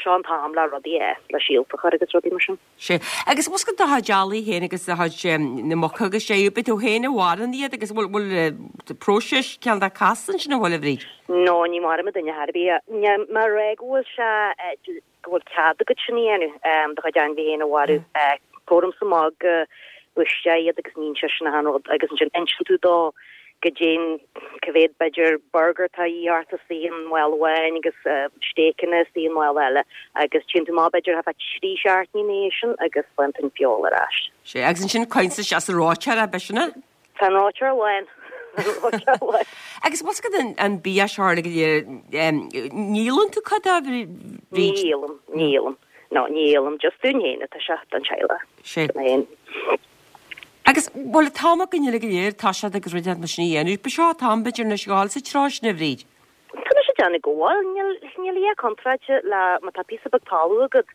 Seo an t-am le rudaí a fhás, le síolta a chur agus rudaí mar sin. Sea. Agus bhfuil fhios agat do chuid eallaigh féin agus do chuid na muca agus sé, ab é tú féin a mharaíonn iad agus bhfuil, bhfuil próiseas cineál de casta ansin an bhfuil a Bhríd? No, ní mharaíonn duine ar bith. Níl mé ag rá go bhfuil sé, go bhfuil cead agat sin a dhéanamh, do chuid ainmhí féin a mharú. Fuaireamsa amach go bhfuistea iad agus níonn sé sin achan rud agus ansin inseann tú dó goidé cá mhéad b'fhéidir burger atá a dhíth ort istigh i mála amháin agus stéiceanna istigh i mála eile agus téann tú amach b'fhéidir thart fá thrí seachtainí ina dhiaidh sin agus faigheann tú an feoil ar ais. Sea, agus ansin cuireann tú isteach sa reoiteoir é, ab sin é? Tá an reoiteoir lán. An reoiteoir lán. Agus bhfuil fhios agat an bia seo uilig go léir, ní dhíolann tú cuid de, a Bhríd? Ní dhíolaim, ní dhíolaim. No, ní dhíolaim, just dúinn féin atá sé, don teaghlach. Sea. Dom féin. Agus, bhuel, an t-am againn uilig go léir, tá siad agus rud mar sin a dhéanamh. Ba seo an t-am, b'fhéidir, anois a ghabháil sa treo sin, a Bhríd. Tá mise ag déanamh go bhfuil. Níl, níl a dhath contráilte le, má tá píosa beag talamh agat.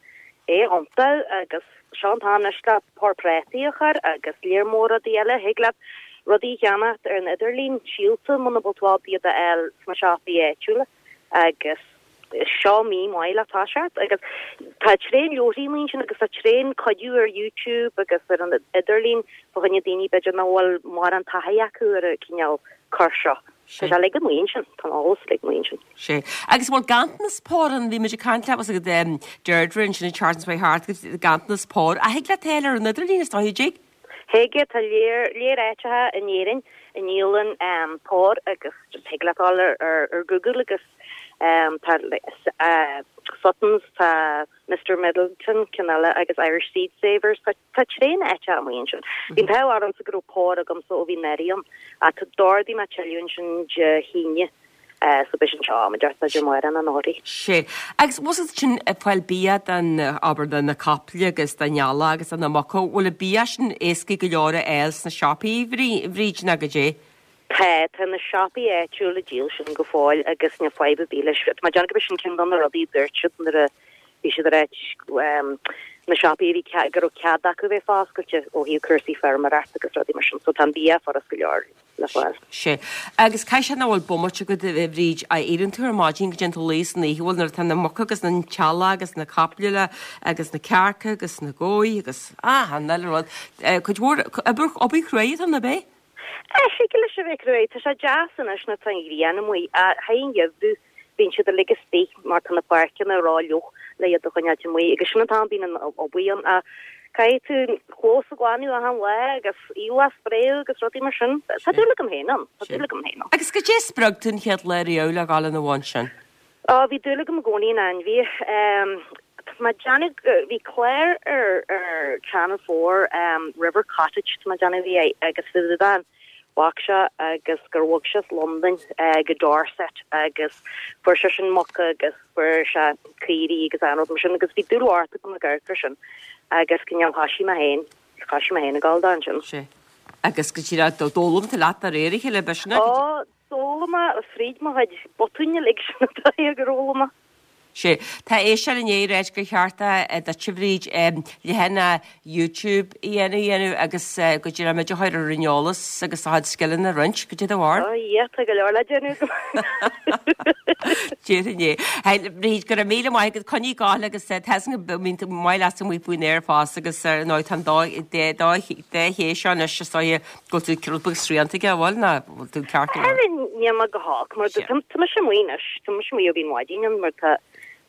É iontach agus seo an t-am anois le pár prátaí a chur agus léar mór rudaí eile. Thig leat rudaí a cheannacht ar an idirlíon, síolta muna bhfuil tú ábalta iad a fháil sna siopaí áitiúla agus seo mí maith le toiseacht agus tá tréan leabharthaí amuigh ansin agus tá tréan cuidiú ar YouTube agus ar an idirlíon fá choinne daoine b'fhéidir nach bhfuil mórán taithí acu ar an cineál cur seo. Tá sé uilig amuigh ansin, tá an eolas uilig amuigh ansin. Sea. Agus an bhfuil ganntanas pór ann, bhí muid ag caint leat, bhfuil a fhios agat, Deirdre ansin ag Charlton's Way Heart, agus ganntanas pór. Ach thig leat é a fháil ar an idirlíon is dóigh, an dtig? Thig, tá léar, léar áiteacha in Éirinn a ndíolann pór agus thig leat dul ar ar Google agus tá Suttons, tá Mr Middleton, ceann eile, agus Irish Seed Savers, tá Tá tréan áiteacha amuigh ansin. Bhí an t-ádh ormsa go raibh pór agamsa ó bhí anuraidh ann. Ach d'ordaigh mé tuilleadh ansin Dé hAoine so beidh sin anseo am inteacht idir amárach nó anóirí. Sea. Agus bhfuil a fhios agat sin ag fáil bia don, abair, do na caiple agus don eallach agus do na muca, bhfuil an bia sin éasca go leor a fháil sna siopaí, a Bhríd, nó goidé? Tá, tá na siopaí áitiúla ag díol sin go fóill agus níl fadhb ar bith leis. Tá mé ag déanamh gurb é sin ceann de na rudaí a dúirt siad nuair a bhí siad ag ráit na siopaí a bhí cead, go raibh cead acu bheith foscailte ó thaobh cúrsaí feirmeoireachta agus rudaí mar sin. So tá an bia furast go leor le fáil. Sea. Agus caithfidh sé nach bhfuil bomaite agat, a Bhríd, a éiríonn tú ar maidin go dtéann tú a luí san oíche, bhfuil nuair atá na muca agus an t-eallach agus na caiple le agus na cearca agus na gabha agus achan uile rud. Cuid mhór, obair, obair chruaidh atá ann, ab é? Thig leis a bheith cruaidh. Tá sé deas anois nuair atá an ghrian amuigh. Ach thar an gheimhreadh bíonn siad uilig istigh mar tá na páirceanna ró-fhliuch le iad a choinneáilt amuigh agus sin an t-am bíonn an obair ann. Ach caithfidh tú an clós a ghlanadh achan lá agus aoileach a spréadh agus rudaí mar sin. Tá dúil agam féin ann. Tá dúil agam féin ann. Agus goidé a spreag tú an chéad lá riamh le dhul ina bhun sin? Ó, bhí dúil agam i gcónaí in ainmhithe. Tá mé ag déanamh go, bhí clár ar, ar Channel 4, River Cottage, tá mé ag déanamh bhí é, agus bhí an mhac seo agus gur bhog sé as Londain go Dorset agus fuair sé sin muca agus fuair sé caoirigh agus achan rud mar sin agus bhí dúil mhór agam ag amharc air sin agus cineál thoisigh mé féin, thoisigh mé féin ag gabháil dó ansin. Sea. Agus go díreach, d'fhoghlaim tú leat de réir a chéile, b'shin é? Ó, D'fhoghlaim mé fríd mo chuid botúin uilig sin an dóigh gur fhoghlaim mé. Sea. Tá éisteoir i ndiaidh ráit gur cheart duit a Bhríd, leathanach YouTube a dhéanamh dhéanamh agus go díreach muid a chur ar an eolas agus do chuid scileanna a roinnt. Goidé do bharúil. Ó yeah, tá go leor le déanamh agam. Déarfainn é. Hey, Bríd, go raibh míle maith agat. Coinnigh ag gabháil agus tá a fhios agam go mbíonn tú maith leatsa amuigh faoin aer fosta agus ar ndóigh tá an dá dá dá ché seo anois is dóigh Go bhfuil tú rud beag srianta aige, an bhfuil, nó bhfuil tú ceart go leor? Níl mé go holc, mar tá mise amuigh anois, tá mise amuigh ó bhí an mhaidin ann, mar tá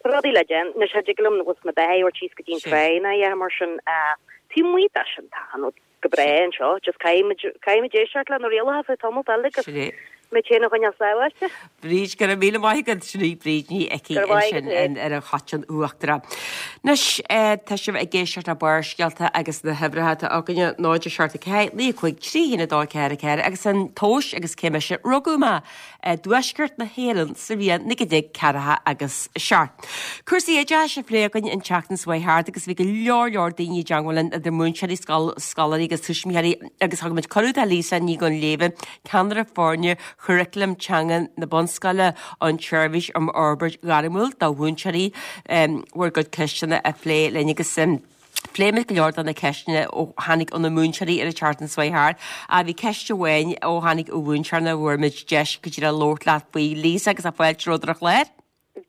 rudaí le déanamh. Anois, cha dtig liom na beithígh a thabhairt síos go dtí an trá ná a dhath mar sin. Taobh amuigh de sin, tá an rud go breá anseo, just caithfidh muid, caithfidh muid éisteacht le na rialacha fá tamall eile agus muid féin a choinneáil sábháilte. Bríd, go raibh míle maith agat. Sin í Bríd Ní Icí ansin ar an Choiteann Uachtarach. Anois, tá sibh ag éisteacht le Barrscéalta agus na huimhreacha atá againne, 0 7 4 9 5 3 1 2 4 4 agus an tomhas agus cé mise, rugadh mé i dTuaisceart na hÉireann sa bhliain 1940 agus 7. Cúrsaí oideachais á phlé againn an tseachtain seo chuaigh thart agus bhí go leor leor daoine i dteangmháil linn idir múinteoirí, scoláirí agus tuismitheoirí agus thug muid cuireadh do Lisa Ní Dhuinnshléibhe, ceannaire foirne Churaclam Teanga na Bunscoile, an tSeirbhís um Fhorbairt Ghairmiúil do Mhúinteoirí, bhur gcuid ceisteanna a phlé linn agus phléigh muid go leor de na ceisteanna ó tháinig ó na múinteoirí ar an tseachtain seo chuaigh thart. Ach bhí ceist amháin ó tháinig ó mhúinteoir nach bhfuair muid deis go díreach labhairt leat faoi, Lisa, agus fáilte romhat ar an chlár.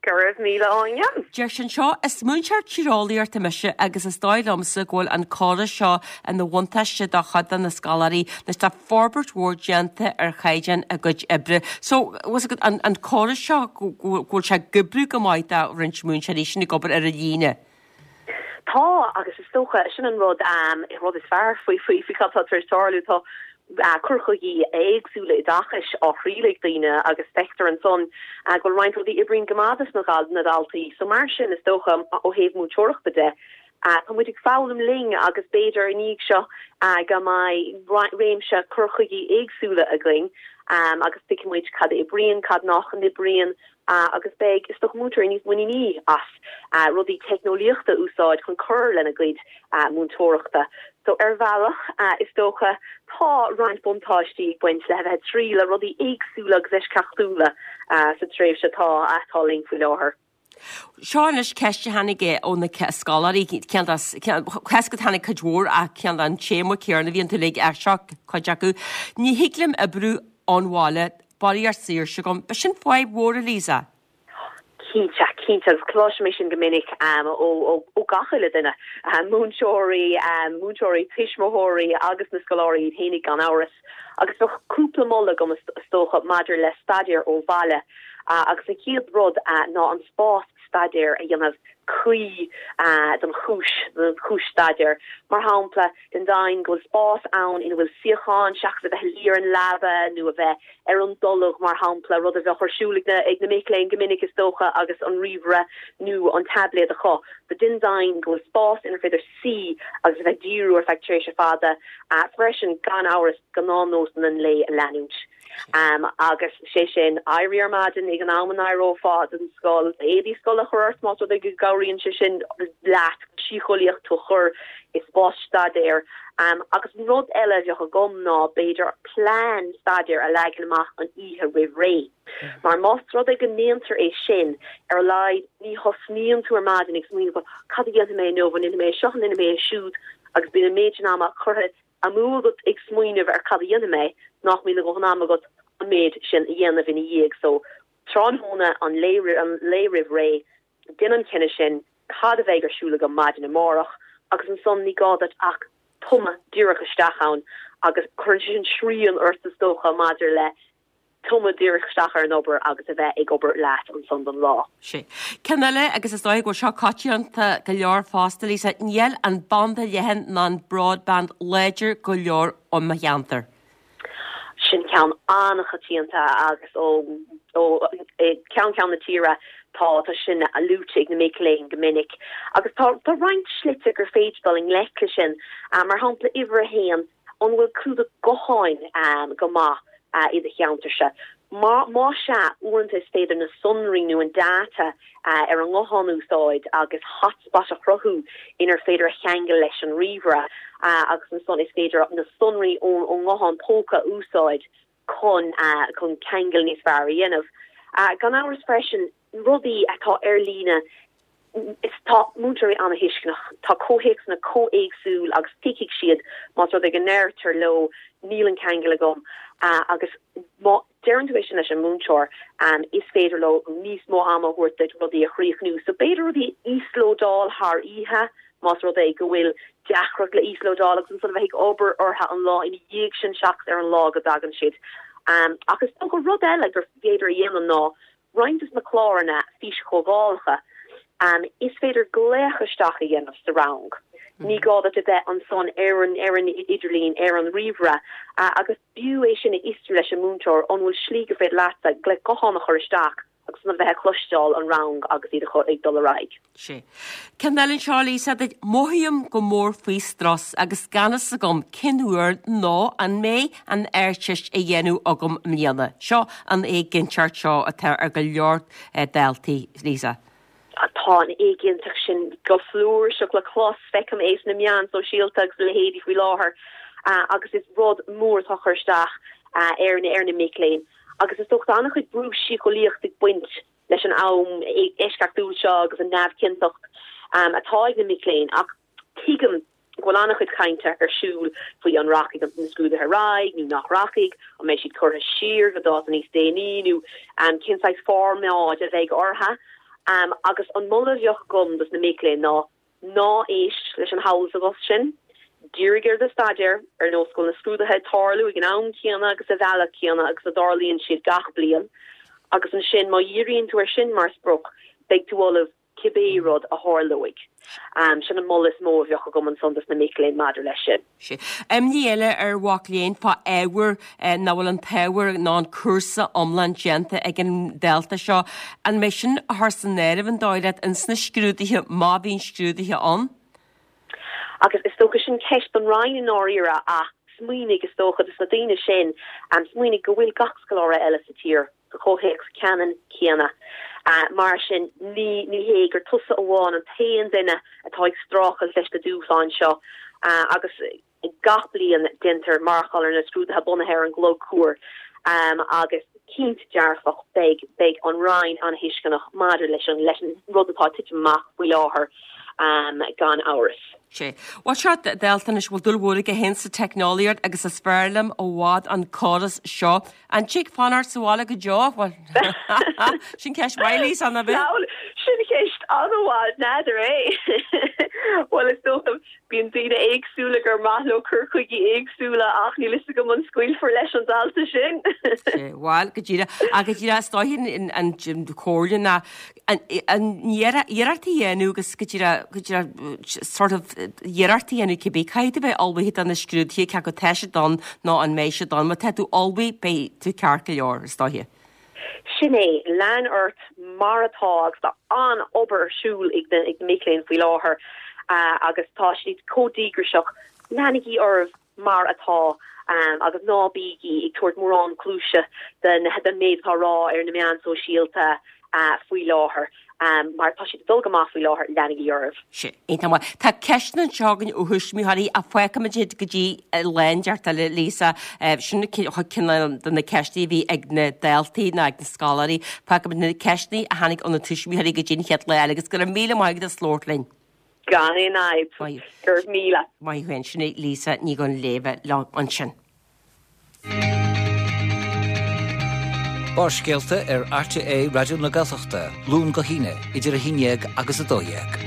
Go raibh míle Áine. Deir sí anseo, Is múinteoir tíreolaíochta mise agus is dóigh liomsa go bhfuil an córas seo ina bhuntáiste do chuid de na scoláirí anois tá forbairt mhór déanta ar chaighdeán a gcuid oibre. So, bhfuil fhios agat, an, an córas seo, go, go, go bhfuil sé ag oibriú go maith do roinnt múinteoirí sin ag obair ar an líne. Tá, agus is dócha, sin an rud, an rud is fearr faoi, faoi, faoi cad tá tar éis tarlú. Tá cur chuigí éagsúla oideachais á thriail ag daoine agus feictear ansan go bhfuil roinnt rudaí oibríonn go maith dos na daltaí. So mar sin, is dócha, ó thaobh múinteoireachta de, tá muid ag foghlaim linn agus b'fhéidir i ndiaidh seo go mbeidh réimse cur chuigí éagsúla againn agus tuigfidh muid cad a oibríonn, cad nach n-oibríonn agus beidh, is dócha, múinteoirí níos muiníní as rudaí teicneolaíochta a úsáid chun cur lena gcuid múinteoireachta. So, ar bhealach, is dócha, tá roinnt buntáistí ag baint le bheith ag triail rudaí éagsúla agus eisceachtúla sa tréimhse atá atá linn faoi láthair. Seo anois ceist a tháinig ó na scoláirí, ceann de, tháinig cuid mhór ach ceann den téama céanna a bhí iontu uilig ach seo cuid acu. Ní thig liom oibriú ón bhaile, barraíocht saoirse agam. B'shin fadhb mhór, a Lisa. Cinnte, cinnte, agus cloisim é sin go minic ó gach uile duine, múinteoirí, múinteoirí, tuismitheoirí agus na scoláirí iad fhéinig gan amhras. Agus bheadh cúpla moladh agam is dócha maidir le staidéar ó bhaile. Agus an chéad rud ná an spás staidéir a dhéanamh cuí don chúis, don chúis staidéir. Mar shampla, déan deimhin go bhfuil spás ann ina bhfuil suíochán seachas a bheith ag luí ar an leaba nó a bheith ar an dtolg, mar shampla, rud a bheadh ar siúl ag na, ag na mic léinn go minic is dócha agus an ríomhaire nó an taibléad acu. So déan deimhin go bhfuil spás inar féidir suí agus a bheith ag díriú ar feadh tréimhse fada. Freisin, gan amhras, gnáthnósanna an lae a leanúint. Agus sé sin, éirí ar maidin ag an am a n-éireofá don scoil, éadaí scoile a chur ort más rud é go gcabhraíonn sé sin leat síceolaíocht tú a chur i spás staidéir. Agus an rud eile a bheadh agam ná b'fhéidir plean staidéir a leagan amach an oíche roimh ré. Mar más rud é go ndéantar é sin, ar a laghad ní thosnaíonn tú ar maidin ag smaoineamh cad a dhéanfaidh mé inniu, an ndéanfaidh mé seo, an ndéanfaidh mé é siúd agus bíonn an méid sin ama curtha amú agat ag smaoineamh ar cad a dhéanfaidh mé, nach mbíonn a dhóthain ama agat an méid sin a dhéanamh ina dhiaidh. So, tráthnóna an lae roimh ré, déan an cinneadh sin, cad a bheidh ar siúl agam maidin amárach, agus ansan ní gá duit ach tumadh díreach isteach ann agus cuireann sé sin srian ort is dócha maidir le tumadh díreach isteach ar an obair agus a bheith ag obair leat ansan don lá. Sea. Ceann eile, agus is dóigh go bhfuil seo coitianta go leor fosta, Lisa, níl an banda leathan ná an broadband láidir go leor i mo cheantar. Sin ceann an-choitianta agus ó ó cheann ceann na tíre tá tá sin luaite ag na mic léinn go minic. Agus tá tá roinnt slite gur féidir dul i ngleic le sin. Mar shampla, uimhir a haon, An bhfuil clúdach gutháin go maith i do cheantarsa? Má sea, uaireanta is féidir na sonraí nó an data ar an nguthán a úsáid agus hotspot a chruthú inar féidir a cheangal leis an ríomhaire agus ansan is féidir na sonraí ón nguthán póca a úsáid chun chun ceangal níos fearr a dhéanamh. Gan amhras freisin, rudaí atá ar líne Is tá múinteoirí an-thuisceanach. Tá comhthéacsanna chomh héagsúil agus tuigfidh siad más rud é go ndeirtear leo níl an ceangal agam agus má deireann tú é sin leis an múinteoir is féidir leo níos mó ama a thabhairt duit rudaí a chríochnú. So b'fhéidir rudaí a íoslódáil thar oíche más rud é go bhfuil deacracht le íoslódáil agus ansan a bheith ag obair orthu an lá ina dhiaidh sin seachas ar an lá go dtagann siad. Ach is dócha rud eile gur féidir a dhéanamh ná Roinnt de na cláranna físchomhdhálacha, is féidir glaoch isteach a dhéanamh sa rang. Ní gá duit a bheith ansan ar an ar an idirlíon, ar an ríomhaire, agus b'fhiú é sin a fhiosrú leis an múinteoir, an bhfuil slí gur féidir leatsa glaoch gutháin a chur isteach agus a bheith ag cloisteáil an rang agus iad ag dul ar aghaidh. Sea. Ceann eile anseo, Lisa, duit. Mothaím go mór faoi strus agus gan fhios agam cén uair nó an mbeidh an Ardteist á dhéanamh agam i mbliana. Seo an éiginnteacht seo atá ar go leor daltaí, Lisa. Tá an éiginnteacht sin go flúirseach le clos, feicim é sna meáin sóisialta agus a leithéidí faoi láthair agus is rud mór atá ag cur isteach ar na mic léinn agus is dócha tá an-chuid brú síceolaíochta ag baint leis an am eisceachtúil seo agus an neamhchinnteacht atá ag na mic léinn ach tuigim go bhfuil an-chuid cainte ar siúl faoi an rachaidh na scrúduithe ar aghaidh nó nach rachaidh, an mbeidh siad curtha siar go dáta níos déanaí nó cén saghas formáid a bheidh orthu. Agus an moladh a bheadh agam dos na mic léinn ná Ná éist leis an shamhail sa bhos sin. Dírigh ar do staidéar, ar nós go bhfuil na scrúduithe ag tarlú ag an am céanna agus sa bhealach céanna agus a dtarlaíonn siad gach bliain. Agus ansin, má dhíríonn tú air sin mar sprioc, beidh tú ullamh cibé rud a tharlóidh. Sin an moladh is mó a bheadh agam ansan dos na mic léinn maidir leis sin. Sea. Imní eile ar mhac léinn fá ábhar nach bhfuil an t-ábhar nó an cúrsa iomlán déanta ag an dalta seo. An mbeidh sin á chur san áireamh an dóigh leat ins na scrúduithe má bhíonn scrúduithe ann? Agus is dócha sin ceist don Roinn i ndáiríre ach smaoinigh is dócha dos na daoine sin, smaoinigh go bhfuil gach scoláire eile sa tír sa chomhthéacs ceannann céanna. Mar sin, ní ní hé gur tusa amháin an t-aon duine atá ag streachailt leis na dúshláin seo agus gach bliain déantar marcáil ar na scrúduithe bunaithe ar an gclog cuair agus. Cinnte dearfach, beidh, beidh an Roinn an-tuisceanach maidir leis an, leis an rud atá ag titim amach faoi láthair, gan amhras. Sea. Bhuel, seo dalta anois a bhfuil dúil mhór aige féin sa teicneolaíocht agus is fearr liom i bhfad an córas seo. An dtig fanacht sa bhaile go deo? Bhuel, sin ceist mhaith, Lisa, nach ea? Sin ceist an-mhaith, n'fheadar é. Bhuel, is dócha, Bíonn daoine éagsúla gur maith leo cur chuigí éagsúla ach níl fhios agam an scaoilfear leis an dalta sin. Bhuel, go díreach. Ach go díreach, is dóiche an chomhairle ná an iarracht a dhéanamh agus go díreach, go díreach sort of iarracht a dhéanamh cibé caithfidh tú bheith ullmhaithe do na scrúduithe, cé acu tá siad ann nó an mbeidh siad ann. Má tá tú ullmhaithe, beidh tú ceart go leor, is dóiche. Sin é, lean ort mar atá agus tá an-obair ar siúl ag na mic léinn faoi láthair agus tá siad chomh díograiseach. Leanaigí oraibh mar atá agus ná bígí ag tabhairt mórán cluaise don méid atá á rá ar na meáin sóisialta faoi láthair. Mar tá siad ag dul go maith faoi láthair, leanaigí oraibh. Sin, iontach maith. Tá ceisteanna anseo againn ó thuismitheoirí ach fágfaimid iad go dtí lá inteacht eile, Lisa. Sin ceann de na ceisteanna a bhí ag na daltaí nó ag na scoláirí. Fágfaimid na ceisteanna a tháinig ó na tuismitheoirí go dtí an chéad lá eile agus go raibh míle maith agat as labhairt linn. Gan aon fhadhb. Go raibh míle. Maith thú. Sin í Lisa Ní Dhuinnshléibhe liom ansin. Barrscéalta ar RTÉ Raidió na Gaeltachta, Luan go hAoine, idir 11 agus 12.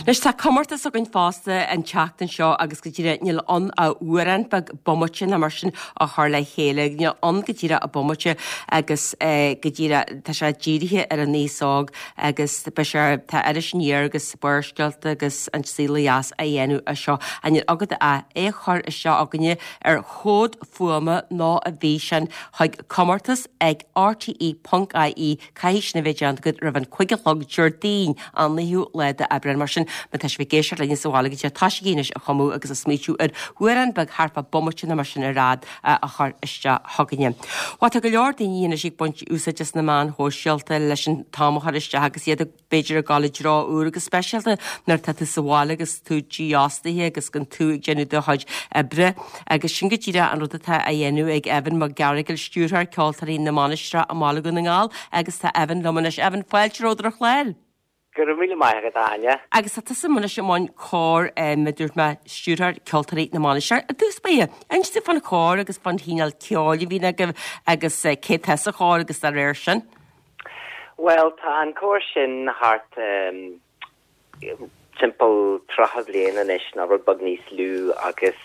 Anois tá comórtas againn fosta an tseachtain seo agus go díreach níl ann ach amhrán beag bomaite nó mar sin a chur le chéile. Níl ann go díreach ach bomaite agus go díreach tá sé dírithe ar an aos óg agus beidh sé, tá Iris Aniar agus Barrscéalta agus An Saol Ó Dheas á dhéanamh as seo. Ach níl agat ach é a chur isteach chugainne ar chomhad fuaime nó i bhfíseán chuig comórtas ag rte ponc ie Caithfidh sin a bheith déanta agat roimh an 5 a chlog Déardaoin, an 9ú lá d'Aibreán. Mar sin, má tá sibh ag éisteacht linne sa bhaile go díreach tosaígí anois a chumadh agus a smaoitiú ar amhrán beag thart fá bomaite nó mar sin ar fhad a chur isteach chugainne. Bhuel, tá go leor daoine anois ag baint úsáid as na meáin shóisialta leis an t-am a chur isteach agus iad ag, b'fhéidir, ag dul i dtreo úr go speisialta nuair atá tú sa bhaile agus tú dífhostaithe agus gan tú ag déanamh do chuid oibre. Agus sin go díreach an rud atá á dhéanamh ag Evan Mac Gearaighil, Stiúrthóir Ceoltóirí na Mainistreach i mBaile Dhún na nGall agus tá Evan liom anois. Evan, fáilte romhat ar an chlár. Go raibh míle maith agat, a Áine. Agus tá tusa anois i mbun cór, mar a dúirt mé, Stiúrthóir Ceoltóirí na Mainistreach. I dtús báire, inis dúinn fán chór agus fán chineál ceoil a bhíonn agaibh agus cé atá sa chór agus dá réir sin. Bhuel, tá an cór sin thart timpeall 30 bliain anois, nó rud beag níos lú, agus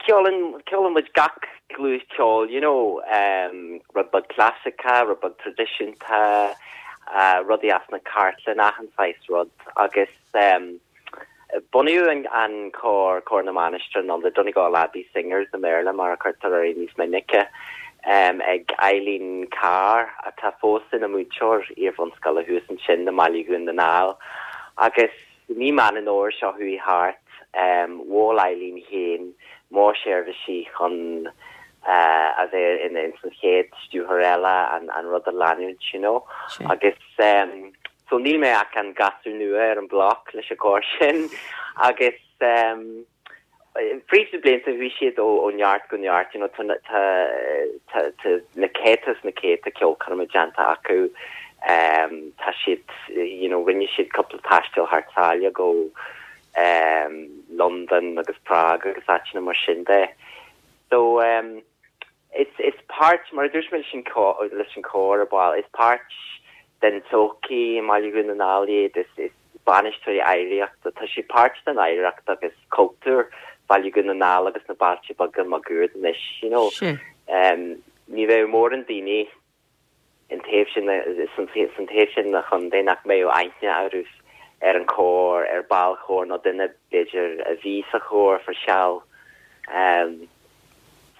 ceolann, ceolann muid gach gluais ceoil, you know, rud beag clasaiceach, rud beag traidisiúnta, rudaí as na cartlainne, achan saghas rud agus bunaíodh an cór, Cór na Mainistreach nó The Donegal Abbey Singers i mBéarla mar a cuirtear air níos minice, ag Eileen Carr atá fós ina múinteoir iar-bhunscoile thuas ansin i mBaile Dhún na nGall agus I mí Meán an Fhómhair seo chuaigh thart, mhol Eileen féin mo sheirbhísí chun a bheith ina ins an chéad stiúrthóir eile an rud a leanúint, you know. Agus so níl mé ach an gasúr nua ar an mbloc leis an gcór sin agus Fríd na blianta chuaigh siad ó neart go neart, you know, tá tá tá na céadta is na céadta ceolchoirme déanta acu, tá siad, you know, rinne siad cúpla taisteal thar sáile go Londain agus Prague agus áiteanna mar sin de. So, Is is páirt, mar a dúirt mé leis an leis an chór ar ball, is páirt den tsochaí i mBaile Dhún na nGall iad, is is bainisteoirí oidhreachta, tá siad páirt den oidhreacht agus cultúr Bhaile Dhún na nGall agus na bailte beaga máguaird anois, you know. Ní bheadh mórán daoine an taobh sin, san taobh sin den chontae nach mbeadh aithne orthu ar an chór, ar ball chóir nó duine b'fhéidir a bhí sa chór for seal.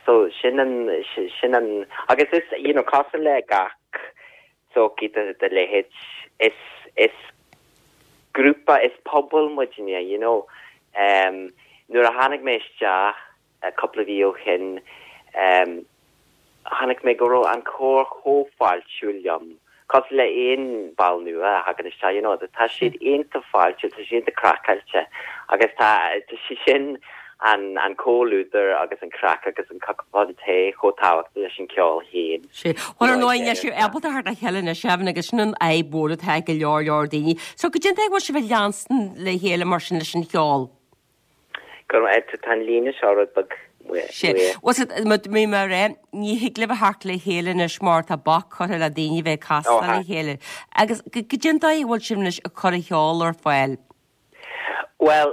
So sin an, sin an, agus is, you know, cosúil le gach sochaí de, de leithéid, is, is grúpa, is pobal muidne, you know. Nuair a tháinig mé isteach cúpla mhí ó shin, chonaic mé go raibh an cór chomh fáiltiúil liom, cosúil le aon ball nua a thagann isteach, you know, tá siad iontach fáiltiúil, tá siad iontach craiceáilte agus tá, tá sé sin. an an comhluadar agus an craic agus an cupán tae chomh tábhachtach leis an ceol féin. Sea. Bhuel, ar ndóigh, níl sibh ábalta theacht le chéile anois, Evan, agus sin an fhadhb mhór atá ag go leor leor daoine. So, goidé an dóigh a bhfuil sibh ag leanstan le chéile mar sin leis an cheol? Go raibh, tá an líne seo rud beag Sea. Bhuel, sea, bhí mé ag rá, ní thig libh a theacht le chéile anois mar tá bac curtha le daoine bheith ag castáil le chéile. Agus goidé an dóigh a bhfuil sibh anois ag cur an cheoil ar fáil? Bhuel,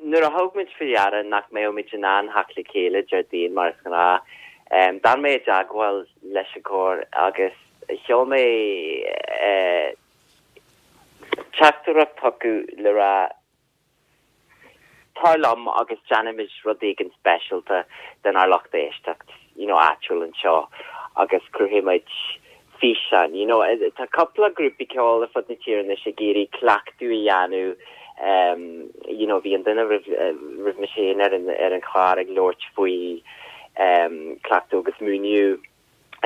nuair a thug muid faoi deara nach mbeadh muid in ann theacht le chéile Déardaoin mar is gnáth, d'fhan mé i dteagmháil leis an gcór agus sheol mé teachtaireacht chucu le rá, Tar liom agus déanfaimid rud éigin speisialta donár lucht éisteacht, you know, áitiúil anseo agus cuirfidh muid físeán, you know. Tá cúpla grúpaí ceoil ar fud na tíre anois ag iarraidh cleachtadh a dhéanamh, you know, bhí an duine roimh, roimh mise féin ar an, ar an chlár ag labhairt faoi cleachtadh agus múineadh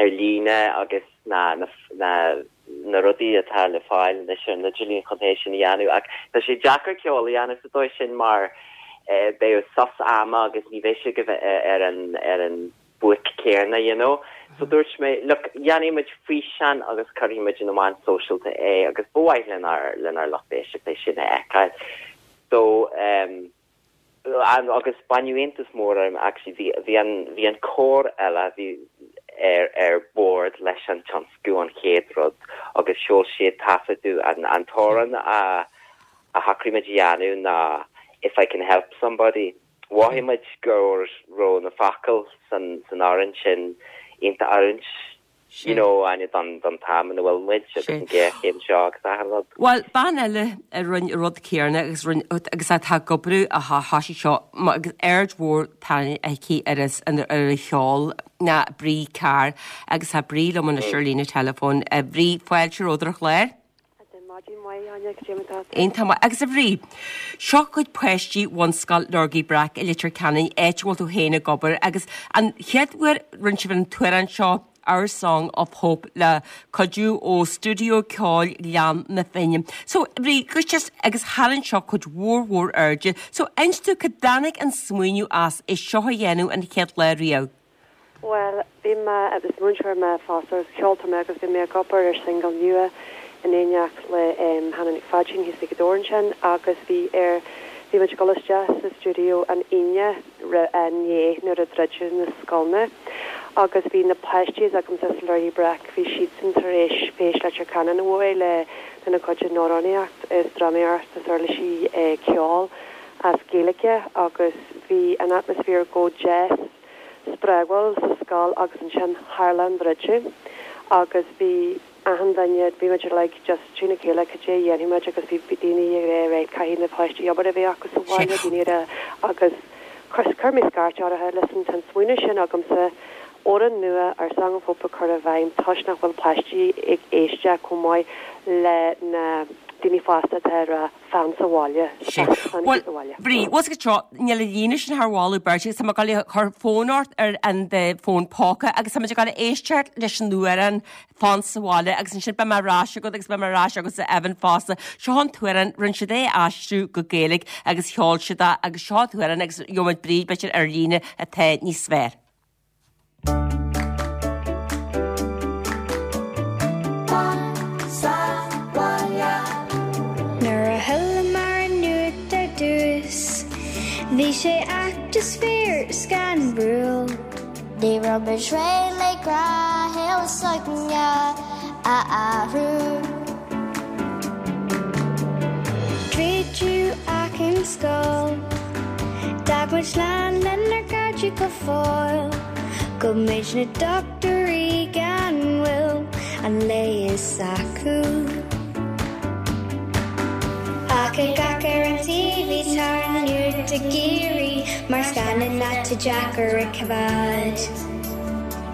ar líne agus na, na, na, na rudaí atá le fáil anois ar an idirlíon chun é sin a dhéanamh ach tá sé deacair ceol a dhéanamh sa dóigh sin mar beidh sos ama agus ní bheidh sé ar an, ar an buaic céanna, you know. So dúirt mé, look, dhéanfaidh muid físeán agus cuirfidh muid ar na meáin sóisialta é agus ba mhaith lenár, lenár lucht éisteachta é sin a fheiceáil. So, um, agus baineadh iontas mór orm actually, bhí, bhí an, bhí an cór eile, bhí ar, ar bord leis an tionscnamh an chéad rud agus sheol siad taifeadadh an, an t-amhrán a, a shocraigh muid a dhéanamh ná If I Can Help Somebody. Mhothaigh muid go raibh na focail san amhrán sin iontach oiriúnach, you know, Áine, don t-am ina bhfuil muid agus an ghéarchéim seo agus achan rud. Bhuel, bean eile a rinne an rud céanna agus rinne, agus atá ag obair ó thosaigh seo agus aird mhór tarraingthe aici ar an cheol ná Bree Carr agus tá Bree liom anois ar líne teileafóin. Bhrí, fáilte romhat ar an chlár. Maidin mhaith, Áine, cad é mar atá tú? Iontach maith. Agus a Bhrí, seo cuid páistí Bhunscoil Lorgaí Breac i Leitir Ceanainn, áit a bhfuil tú féin ag obair, agus an chéad uair rinne sibh an t-amhrán seo, Our Song of Hope, le cuidiú ó Stiúideo Ceoil Ghleann na Finne. So, a Bhrí, just, agus tharraing seo cuid mhór mhór airde. So, inis dúinn cá dtáinig an smaoineamh as é seo a dhéanamh an chéad lá riamh? Bhuel, bhí mé, is múinteoir mé fosta agus ceoltóir mé agus bhí mé ag obair ar singil nua in éineacht le Hannah Nic Pháidín thíos i Gaoth Dobhair ansin agus bhí ar, bhí muid ag dul isteach sa stiúideo an Aoine inné nuair a druideadh na scoileanna agus bhí na páistí agamsa sa Lorgaí Breac, bhí siadsan tar éis Feis Leitir Ceanainn a bhuaigh le lena gcuid amhránaíocht is drámaíocht is uirlisí ceoil as Gaeilge agus bhí an atmaisféar go deas. spreagúil sa scoil agus ansin tharla an druideadh agus bhí achan duine, bhí muid uilig just trína chéile cad é a dhéanfaidh muid agus bhí daoine ag rá right caithfidh na páistí obair a bheith acu sa bhaile, daoine ag rá agus chuir mé scairt orthu, listen tá an smaoineamh sin agamsa amhrán nua Our Song of Hope a chur i bhfeidhm toisc nach bhfuil páistí ag éisteacht chomh maith le na daoine fásta atá ag rá fan sa bhaile. Sea. Bhuel, Bhrí, bhfuil 's agat seo, níl an líne sin thar mholadh beirte agus tá mé ag dul a chur fón ort ar an bhfón póca agus tá muid ag dul a éisteacht leis an amhrán Fan sa Bhaile agus ansin beidh mé ar ais agat agus beidh mé ar ais agatsa Evan fosta. Seo an t-amhrán, rinne siad é a aistriú go Gaeilge agus sheol siad é agus seo an t-amhrán agus gheobhaidh muid Bríd b'fhéidir ar líne atá níos fearr. Nuair a chualamar an nuacht ar dtús, bhí sé ait is fíor scanrúil. Ní raibh muid réidh le gnáthshaol s'againne a athrú. Druideadh achan scoil. D'fhág muid slán lenár gcairde go fóill. Ghabh muid na dochtúirí gan mhoill an leigheas acu. Ach ag amharc ar an TV tá an nuacht ag éirí mar scannán atá deacair a choimhéad.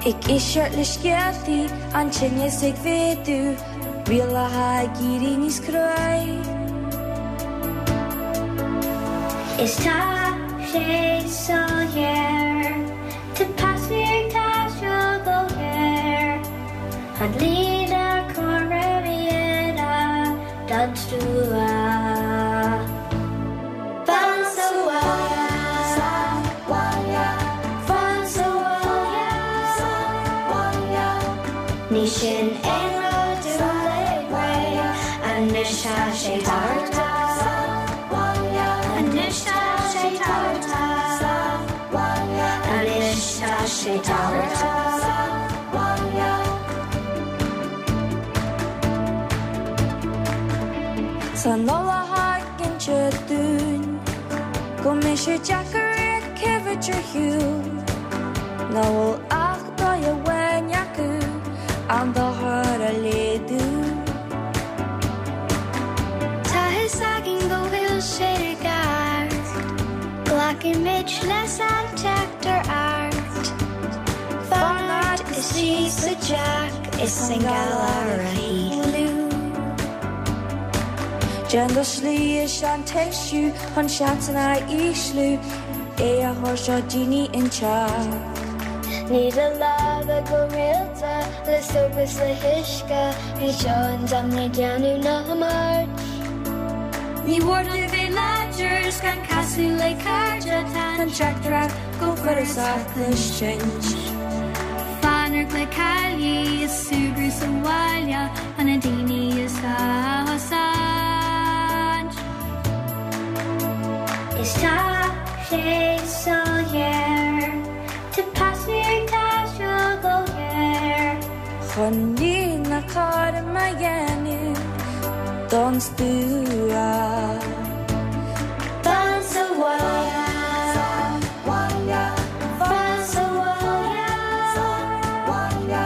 Ag éisteacht le scéaltaí, an tinneas ag mhéadú. Rialacha ag éirí níos cruaí. Is tá sé soiléir, tá pas ag taisteal go léir, an líne cúraim a don stua. Fan sa bhaile. Ní sin aon rud uilig réidh, anois tá sé tabhartha. Anois tá sé tabhartha. Anois tá sé tabhartha. San Nollaig ag inse dúinn go mbeidh sé deacair é a choimhéad ar shiúl, nach bhfuil ach dóigh amháin acu an dochar a laghdú. Tá fhios againn go bhfuil sé i gceart, glacaimid leis an teachtaireacht. Fanacht istigh sa teach is an galar a shíothlú. Déan do shlí is an t-eisiú chun seansanna a ísliú, é a thabhairt do daoine inteacht. Nigh do lámha go rialta le sóp is le huisce, ní seo an t-am le déanamh na himirt. Ní mór dúinn bheith láidir is gan casadh le cairde, tá an teachtaireacht go follasach cloisint. Fanacht le caillí is súgradh sa bhaile chun na daoine is gá a chosaint. Is tá sé soiléir, tá paisinéirí ag taisteal go géar. Chun líne cothrom a dhéanamh don stua. Fan sa bhaile, fan sa bhaile,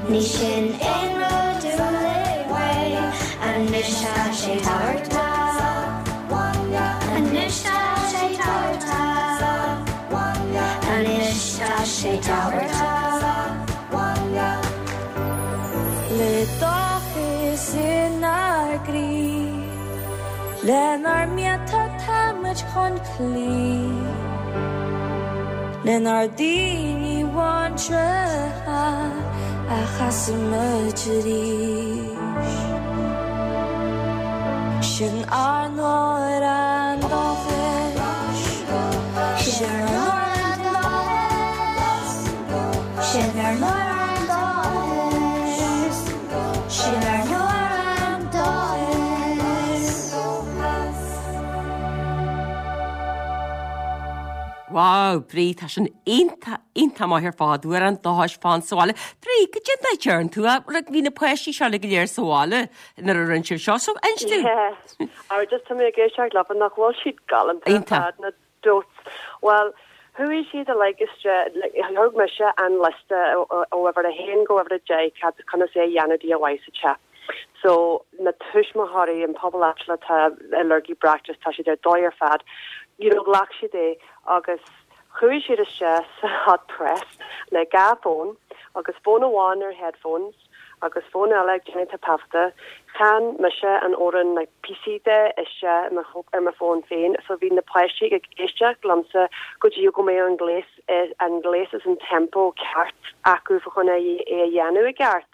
ní sin aon rud uilig réidh, anois tá sé tabhartha, anois tá sé tabhartha, anois tá sé tabhartha. Le dóchas inár gcroí, lenár mianta táimid chun cloí, lenár ndaoine muinteartha a chasfaimid arís. Sin ár n-amhrán dóchais, Sin ár n-amhrán dóchais, sin ár n-amhrán dóchais, sin ár n-amhrán dóchais. Wow, Bríd, tá sin iontach, iontach maith ar fad, Amhrán Dóchais Fan sa Bhaile. Bríd, cad é an dóigh a dtearn tú é? Like, bhí na páistí seo uilig go léir sa bhaile nuair a rinne sibh seo, so inis dúinn. Yeah, ara just tá mé ag éisteacht leofa, nach bhfuil siad galánta ar fad, na dots. Bhuel, chuaigh siad uilig isteach, like, thug mise an liosta ó uimhir a haon go uimhir a deich cad, conas é a dhéanamh DIY sa teach. So, na tuismitheoirí, an pobal áitiúil atá ag lorg breac just tá siad ar dóigh ar fad. You know, ghlac siad é agus chuaigh siad isteach sa hot press le dhá fón agus fón amháin ar headphones agus fón eile ag déanamh taifeadta. Chan mise an amhrán like píosaí de isteach ar mo fón féin so bhí na páistí ag éisteacht liomsa go dtí go mbeadh an gléas an gléas is an tempo ceart acu fá choinne é a dhéanamh i gceart.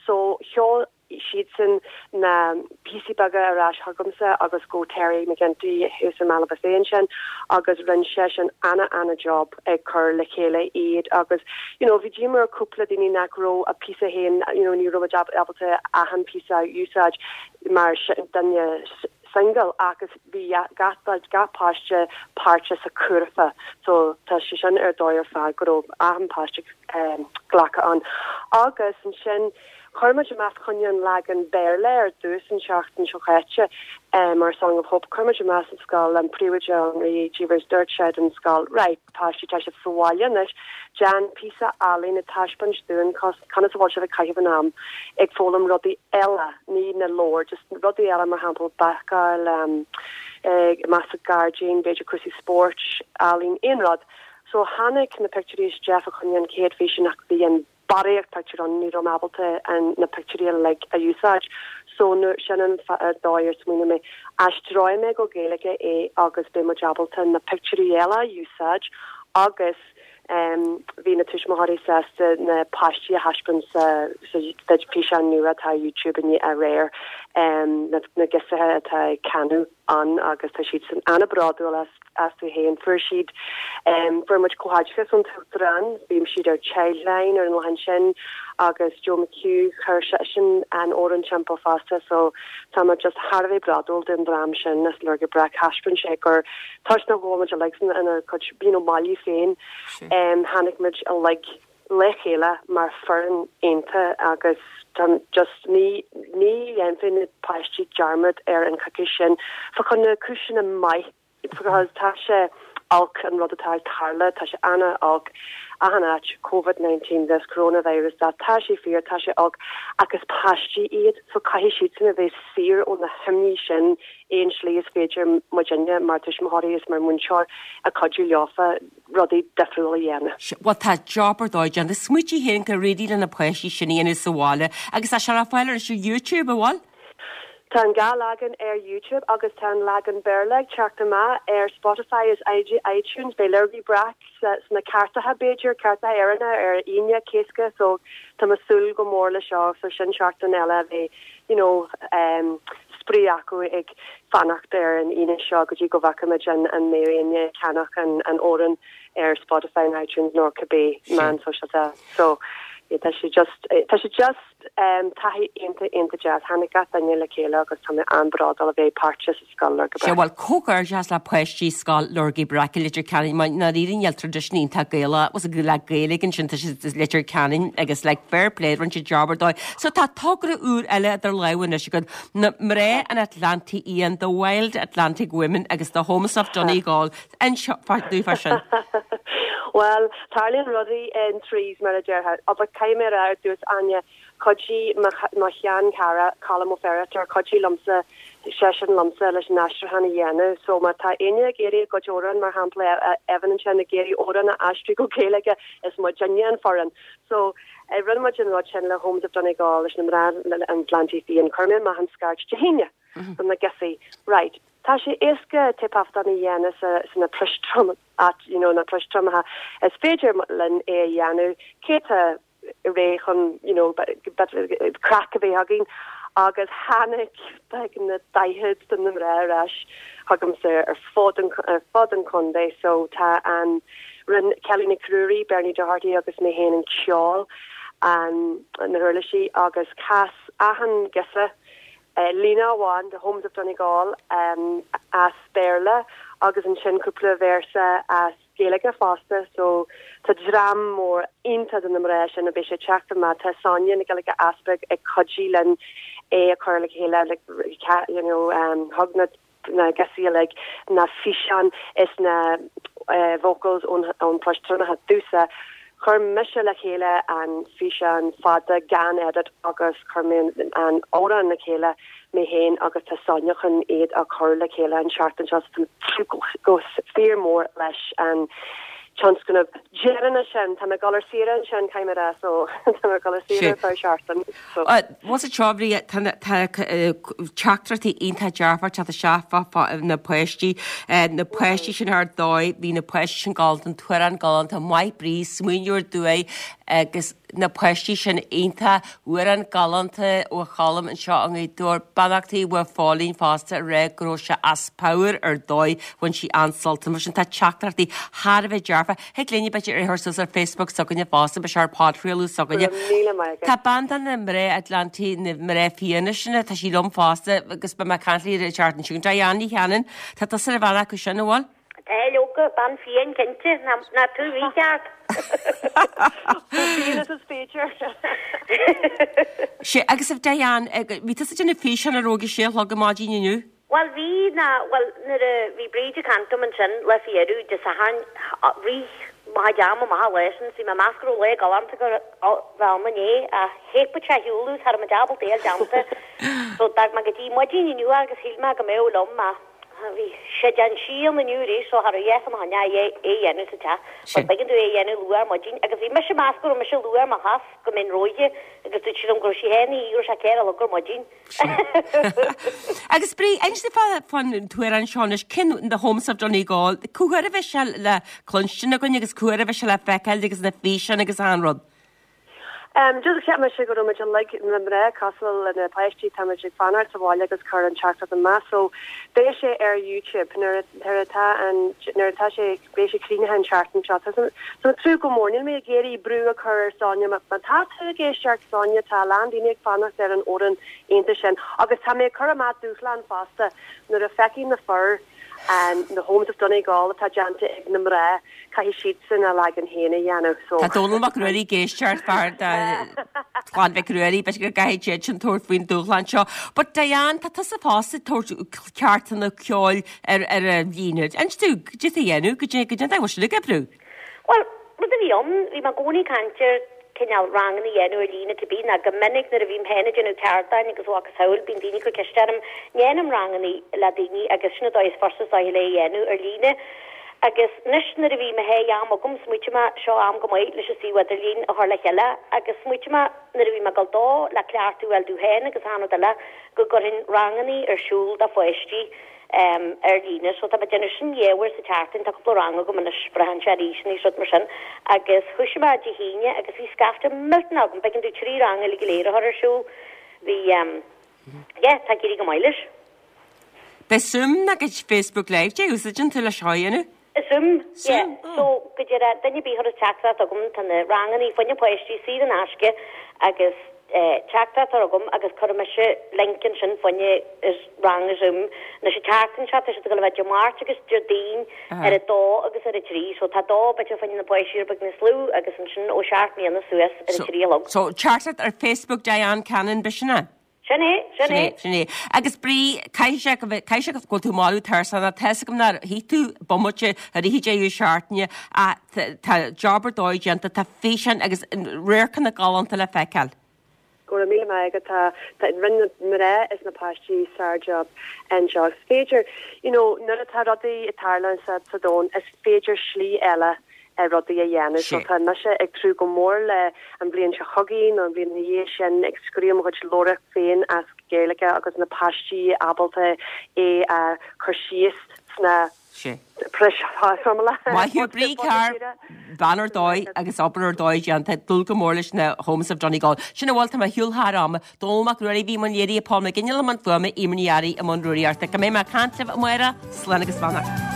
So sheol siadsan na píosaí beaga ar ais chugamsa agus go Terry McGinty thuas i mBaile Bhuirne ansin agus rinne seisean ana ana job ag cur le chéile iad agus you know bhí díomá ar cúpla daoine nach raibh a píosa féin you know ní raibh muid ábalta achan píosa a úsáid mar duine single agus bhí gach gach páiste páirteach sa chúrfa so tá sé sin ar dóigh ar fad go raibh achan páiste glactha ann. Agus ansin chuir muid amach fá choinne an leagan Béarla ar dtús an tseachtain seo chaite mar Song of Hope. Chuir muid amach sa scoil, an príomhoide Henri Cheevers, dúirt sé don scoil, right, páistí tá sibh sa bhaile anois, déan píosa ealaín ag taispeáint dúinn conas a bhfuil sibh ag caitheamh an am ag foghlaim rudaí eile, ní na leabhair, just rudaí eile mar shampla bácáil, amach sa gairdín, b'fhéidir cúrsaí spóirt, ealaín, aon rud. So tháinig na pictiúirí isteach fá choinne an chéad fhíseán ach bhí an barraíocht pictiúr ann, ní raibh mé ábalta an na pictiúirí uilig a úsáid. So nuair, sin an dóigh ar smaoinigh mé, aistreoidh mé go Gaeilge é agus beidh muid ábalta na pictiúirí eile a úsáid agus em bhí na tuismitheoirí sásta na páistí a thaispeáint sa sa físeán nua atá ar YouTube inné aréir, em na na girseacha atá ag canadh. ann agus tá siadsan an-bhródúil astu féin. Fuair siad, fuair muid comhghairdeachas ón tUachtarán, bhí siad ar Childline ar an lá ansin agus Joe McHugh, chuir seisean an amhrán timpeall fosta so tá muid just thar a bheith bródúil den dream sin as Lorgaí Breac. Thaispeáin sé gur toisc nach bhfuil muid uilig inár gcuid you know mbaile féin, tháinig muid uilig le chéile mar foireann iontach agus tá just ní ní dhéanfaidh na páistí dearmad ar an coicís sin fá choinne cúiseanna maith because tá sé olc an rud atá ag tarlú, tá sé ana-olc achan áit, Covid 19 this, coronavirus that, tá sé fíor, tá sé olc ach is páistí iad so caithfidh siadsan a bheith saor ó na himní sin aon slí is féidir muidinne mar tuismitheoirí is mar múinteoir a cuidiú leofa rudaí difriúil a dhéanamh. Bhuel tá job ar dóigh déanta. Smaoitigh féin go réidh le na páistí sin a dhéanamh sa bhaile agus tá sé le fáil anois ar YouTube, an bhfuil? Tá an dá leagan ar YouTube agus tá an leagan Béarla ag teacht amach ar Spotify is iTunes. Beidh Lurgaí Breac sna cairteacha b'fhéidir, cairteacha Éireannacha ar Aoine Cásca so tá mé ag súil go mór le seo so sin seachtain eile a bheidh you know spraoi acu ag fanacht ar an Aoine seo go dtí go bhfeicfimid an an mbeidh éinne ag ceannach an an amhrán ar Spotify nó iTunes nó cibé meán sóisialta. So yeah tá sé just tá sé just taithí iontach iontach deas. Tháinig gach duine le chéile agus tá mé an-bhródúil a bheith páirteach sa scoil Lorgaí Sea, Breac. bhuel, comhghairdeas le páistí Scoil Lorgaí Breac i Leitir Ceanainn mar ndáiríre níl traidisiún iontach Gaelach le Gaeilge ansin tá siad i Leitir Ceanainn agus like fair play rinne siad job ar dóigh. So tá togra úr eile idir lámha anois agat, na mná an Atlantaigh Fhiáin, The Wild Atlantic Women agus The Homes of Donegal. Inis dúinn fá sin. Bhuel, tarlaíonn rudaí in threes mar a déarfá. But caithfidh mé a rá ar dtús, Áine, Chuidigh mo sheanchara, Colm Ó Feiritéar, chuidigh liomsa, seisean liomsa leis an aistriúchán a dhéanamh. So má tá éinne ag iarraidh a gcuid amhrán, mar shampla, Evan ansin ag iarraidh amhrán a aistriú go Gaeilge, is muidinne an foireann. So rinne muid an rud sin le Homes of Donegal, leis na mná an Atlantaigh Fiáin. Chuir mé amach an scairt Dé hAoine do na girseachaí. Right. Tá sé éasca taifeadán a dhéanamh sa sna priostrom, you know, na priostreamacha. Is féidir linn é a dhéanamh. Cé tá réidh chun you know craic a bheith againn agus tháinig beagnach 40 de na mná ar ais chugamsa ar fud an ar fud an chontae so tá an rinne Kelly Nic Ruairí, Bernie Doherty agus mé féin an ceol an na huirlisí agus chas achan ghirseach líne amháin de Homes of Donegal as Béarla agus ansin cúpla véarsa as Gaeilge fosta so tá dream mór iontach de na mná sin a beidh sé ag teacht amach. Tá Sonia Nic Giolla Easpaig ag cuidiú linn é a chur le chéile like you know thug na na girseachaí uilig na físeáin is na vocals ón ón paistreamacha domhsa. Chuir mise le chéile an físeán fada gan edit agus chuir mé an amhrán le chéile mé féin agus tá Sonia chun iad a chur le chéile an tseachtain seo so tá mé go fíor mór leis an tionscnamh deireanach sin. Tá mé ag dul ar saoire ansin, caithfidh mé a rá, so tá mé ag dul ar saoire ar feadh seachtain. So. Bhuel seo a Bhríd, tá teachtaireachtaí iontach dearfach ag teacht isteach fá fá na páistí, na páistí sin ar dóigh, bhí na páistí sin galánta, an t-amhrán galánta, maith Bríd, smaoineamh ar dóigh agus na páistí sin iontach, amhrán galánta ó Cholm anseo i nGaoth Dobhair, beannachtaí uaidh Phóilín fosta ag rá go raibh sé as pabhar ar dóigh, bhain sí an-sult Mar sin tá teachtaireachtaí thar a bheith dearfa. Thig linn b'fhéidir é a chur suas ar Facebook s'againne fosta, beidh sé ar podchraoladh s'againne. Go raibh míle maith agat. Tá bean de na mná Atlantaí, na mná fiáine sin, tá sí liom fosta agus beidh mé ag caint léi an tseachtain seo chugainn. Diane Ní Chanainn, tá tusa ar bhean acu sin, an bhfuil? Tá, leoga, bean fiáin cinnte, ná tú mícheart. Chomh fiáin is is féidir. Sea, agus a Diane, bhí tusa ag déanamh físeán a raibh ag a sé a chlog ar maidin inniu? Bhuel bhí, ná, bhuel nuair a bhí Bríd ag caint dom ansin lá faoi dheireadh Dé Sathairn, rith mo chuid ama amach an lá sin, 's bhí mé ag meas go raibh lá galánta go bheith ann inné ach theip sé ar shiúl agus cha raibh muid ábalta é a fháil déanta. So d'fhág mé go dtí maidin inniu agus shíl mé go mbeadh liom ach bhí sé de'n síon inniu arís so cha raibh a dhath fá choinne é a dhéanamh sa teach. But b'éigean domh é a dhéanamh luath ar maidin agus bhí mise ag meas go raibh mise luath ar mo shos go mbeinn róighe agus dúirt sí liom go raibh sí féin go raibh sé ceithre a chlog ar maidin. Agus Bríd, inis dúinn fán t-amhrán seo anois, cén The Homes of Donegal, cá huair a bheidh sé le cluinstin againn agus cá huair a bheidh sé le feiceáil agus na físeáin agus achan rud? Just cheap mise go raibh muid uilig, na mná, cosúil le na páistí, tá muid ag fanacht sa bhaile agus cur an teachtaireacht amach so beidh sé ar YouTube nuair nuair atá an nuair atá sé beidh sé críochnaithe an tseachtain seo. Tá mé ag tnúth go mór, níl mé ag iarraidh brú a chur ar Sonia má tá tú ag éisteacht Sonia tá a lán daoine ag fanacht ar an amhrán iontach sin agus tá mé ag cur amach dúshlán fosta nuair a feicfidh na fir na Homes of Donegal atá déanta ag na mná, caithfidh siadsan a leagan féin a dhéanamh. So. Tá Dónall Mac Ruairí ag éisteacht, fear de chlann Mhic Ruairí, b'fhéidir go gcaithfidh siad sin tabhairt faoin dúshlán seo. But Diane, tá tusa fosta ag tabhairt ceardlanna ceoil ar ar an líne. Inis dúinn, cad é atá a dhéanamh, cad é cad é an dóigh a bhfuil sin ag oibriú? Bhuel, rud a bhí ann, bhí mé i gcónaí ag caint ar cineál ranganna a dhéanamh ar líne cibé, ná go minic nuair a bhím féin ag déanamh ceardlann agus a mhacasamhail, bíonn daoine ag cur ceiste orm, ndéanaim ranganna le daoine agus sin an dóigh is fursa is dóiche le é a dhéanamh ar líne. Agus anois nuair a bhí mo shéith am agam, smaoitigh mé, seo am go maith leis an suíomh idirlín a chur le chéile agus smaoitigh mé nuair a bhí mé ag dul dó le cleachtadh a fháil domh féin agus achan rud eile go gcuirfinn ranganna ar siúl do pháistí. ar líne. So tá mé ag déanamh sin dhá uair sa tseachtain, tá cúpla rang agam anois, braitheann sé ar aoiseanna is rud mar sin. Agus thoisigh mé Dé hAoine agus bhí scaifte millteanach agam, b'éigean domh trí rang uilig go léir a chur ar siúl. Bhí, yeah, tá ag éirí go maith leis. B'é Zoom nó goid Facebook Live dé úsáideann tú leis seo a dhéanamh? Zoom, yeah. So, go deireadh, duine ar bith a chuireas teachtaireacht chugam, tá na rangannaí fá choinne páistí saor in aisce agus teachtaireacht a chur chugam agus cuirfidh mise link ansin fá choinne rang Zoom. Anois an tseachtain seo, tá siad ag dul a bheith Dé Máirt agus Déardaoin ar a dó agus ar a trí. So tá dó b'fhéidir fá choinne na páistí rud beag níos lú agus ansin ó sheacht mbliana suas ar a trí a chlog. So, teachtaireacht ar Facebook Diane Cannon, b'shin é? Sin é, sin é. Sin é. Agus Brí, caithfidh sé go bhfuil, caithfidh sé go bhfuil tú marbh tuirseach, tá a fhios agam nár shuigh tú bomaite i rith an deireadh seachtaine ach tá job ar dóigh déanta, tá físeáin agus radharcanna galánta le feiceáil. Go raibh míle maith agat. Tá, tá, rinne na mná is na páistí sár-job anseo. Is féidir, you know, nuair atá rudaí ag tarlú sa, sa domhan, is féidir slí eile ar rudaí a dhéanamh. So tá mise ag tnúth go mór le an bhliain seo chugainn nó an bhliain ina dhiaidh sin ag scríobh mo chuid leabhar féin as Gaeilge agus na páistí ábalta é a chur síos sna Maith thú Brí Carr, bean ar dóigh agus obair ar dóigh déanta, ag dúil go mór leis na Homes of Donegal. Sin a bhfuil, tá mé ar shiúl thar am. Dónall Mac Ruairí a bhí i mbun léirithe, Paul Mac Giolla i mbun fuaime, Eimear Ní Fhearraigh i mbun rúnaíochta. Go mbeidh mé ag caint libh amárach, slán agus beannacht.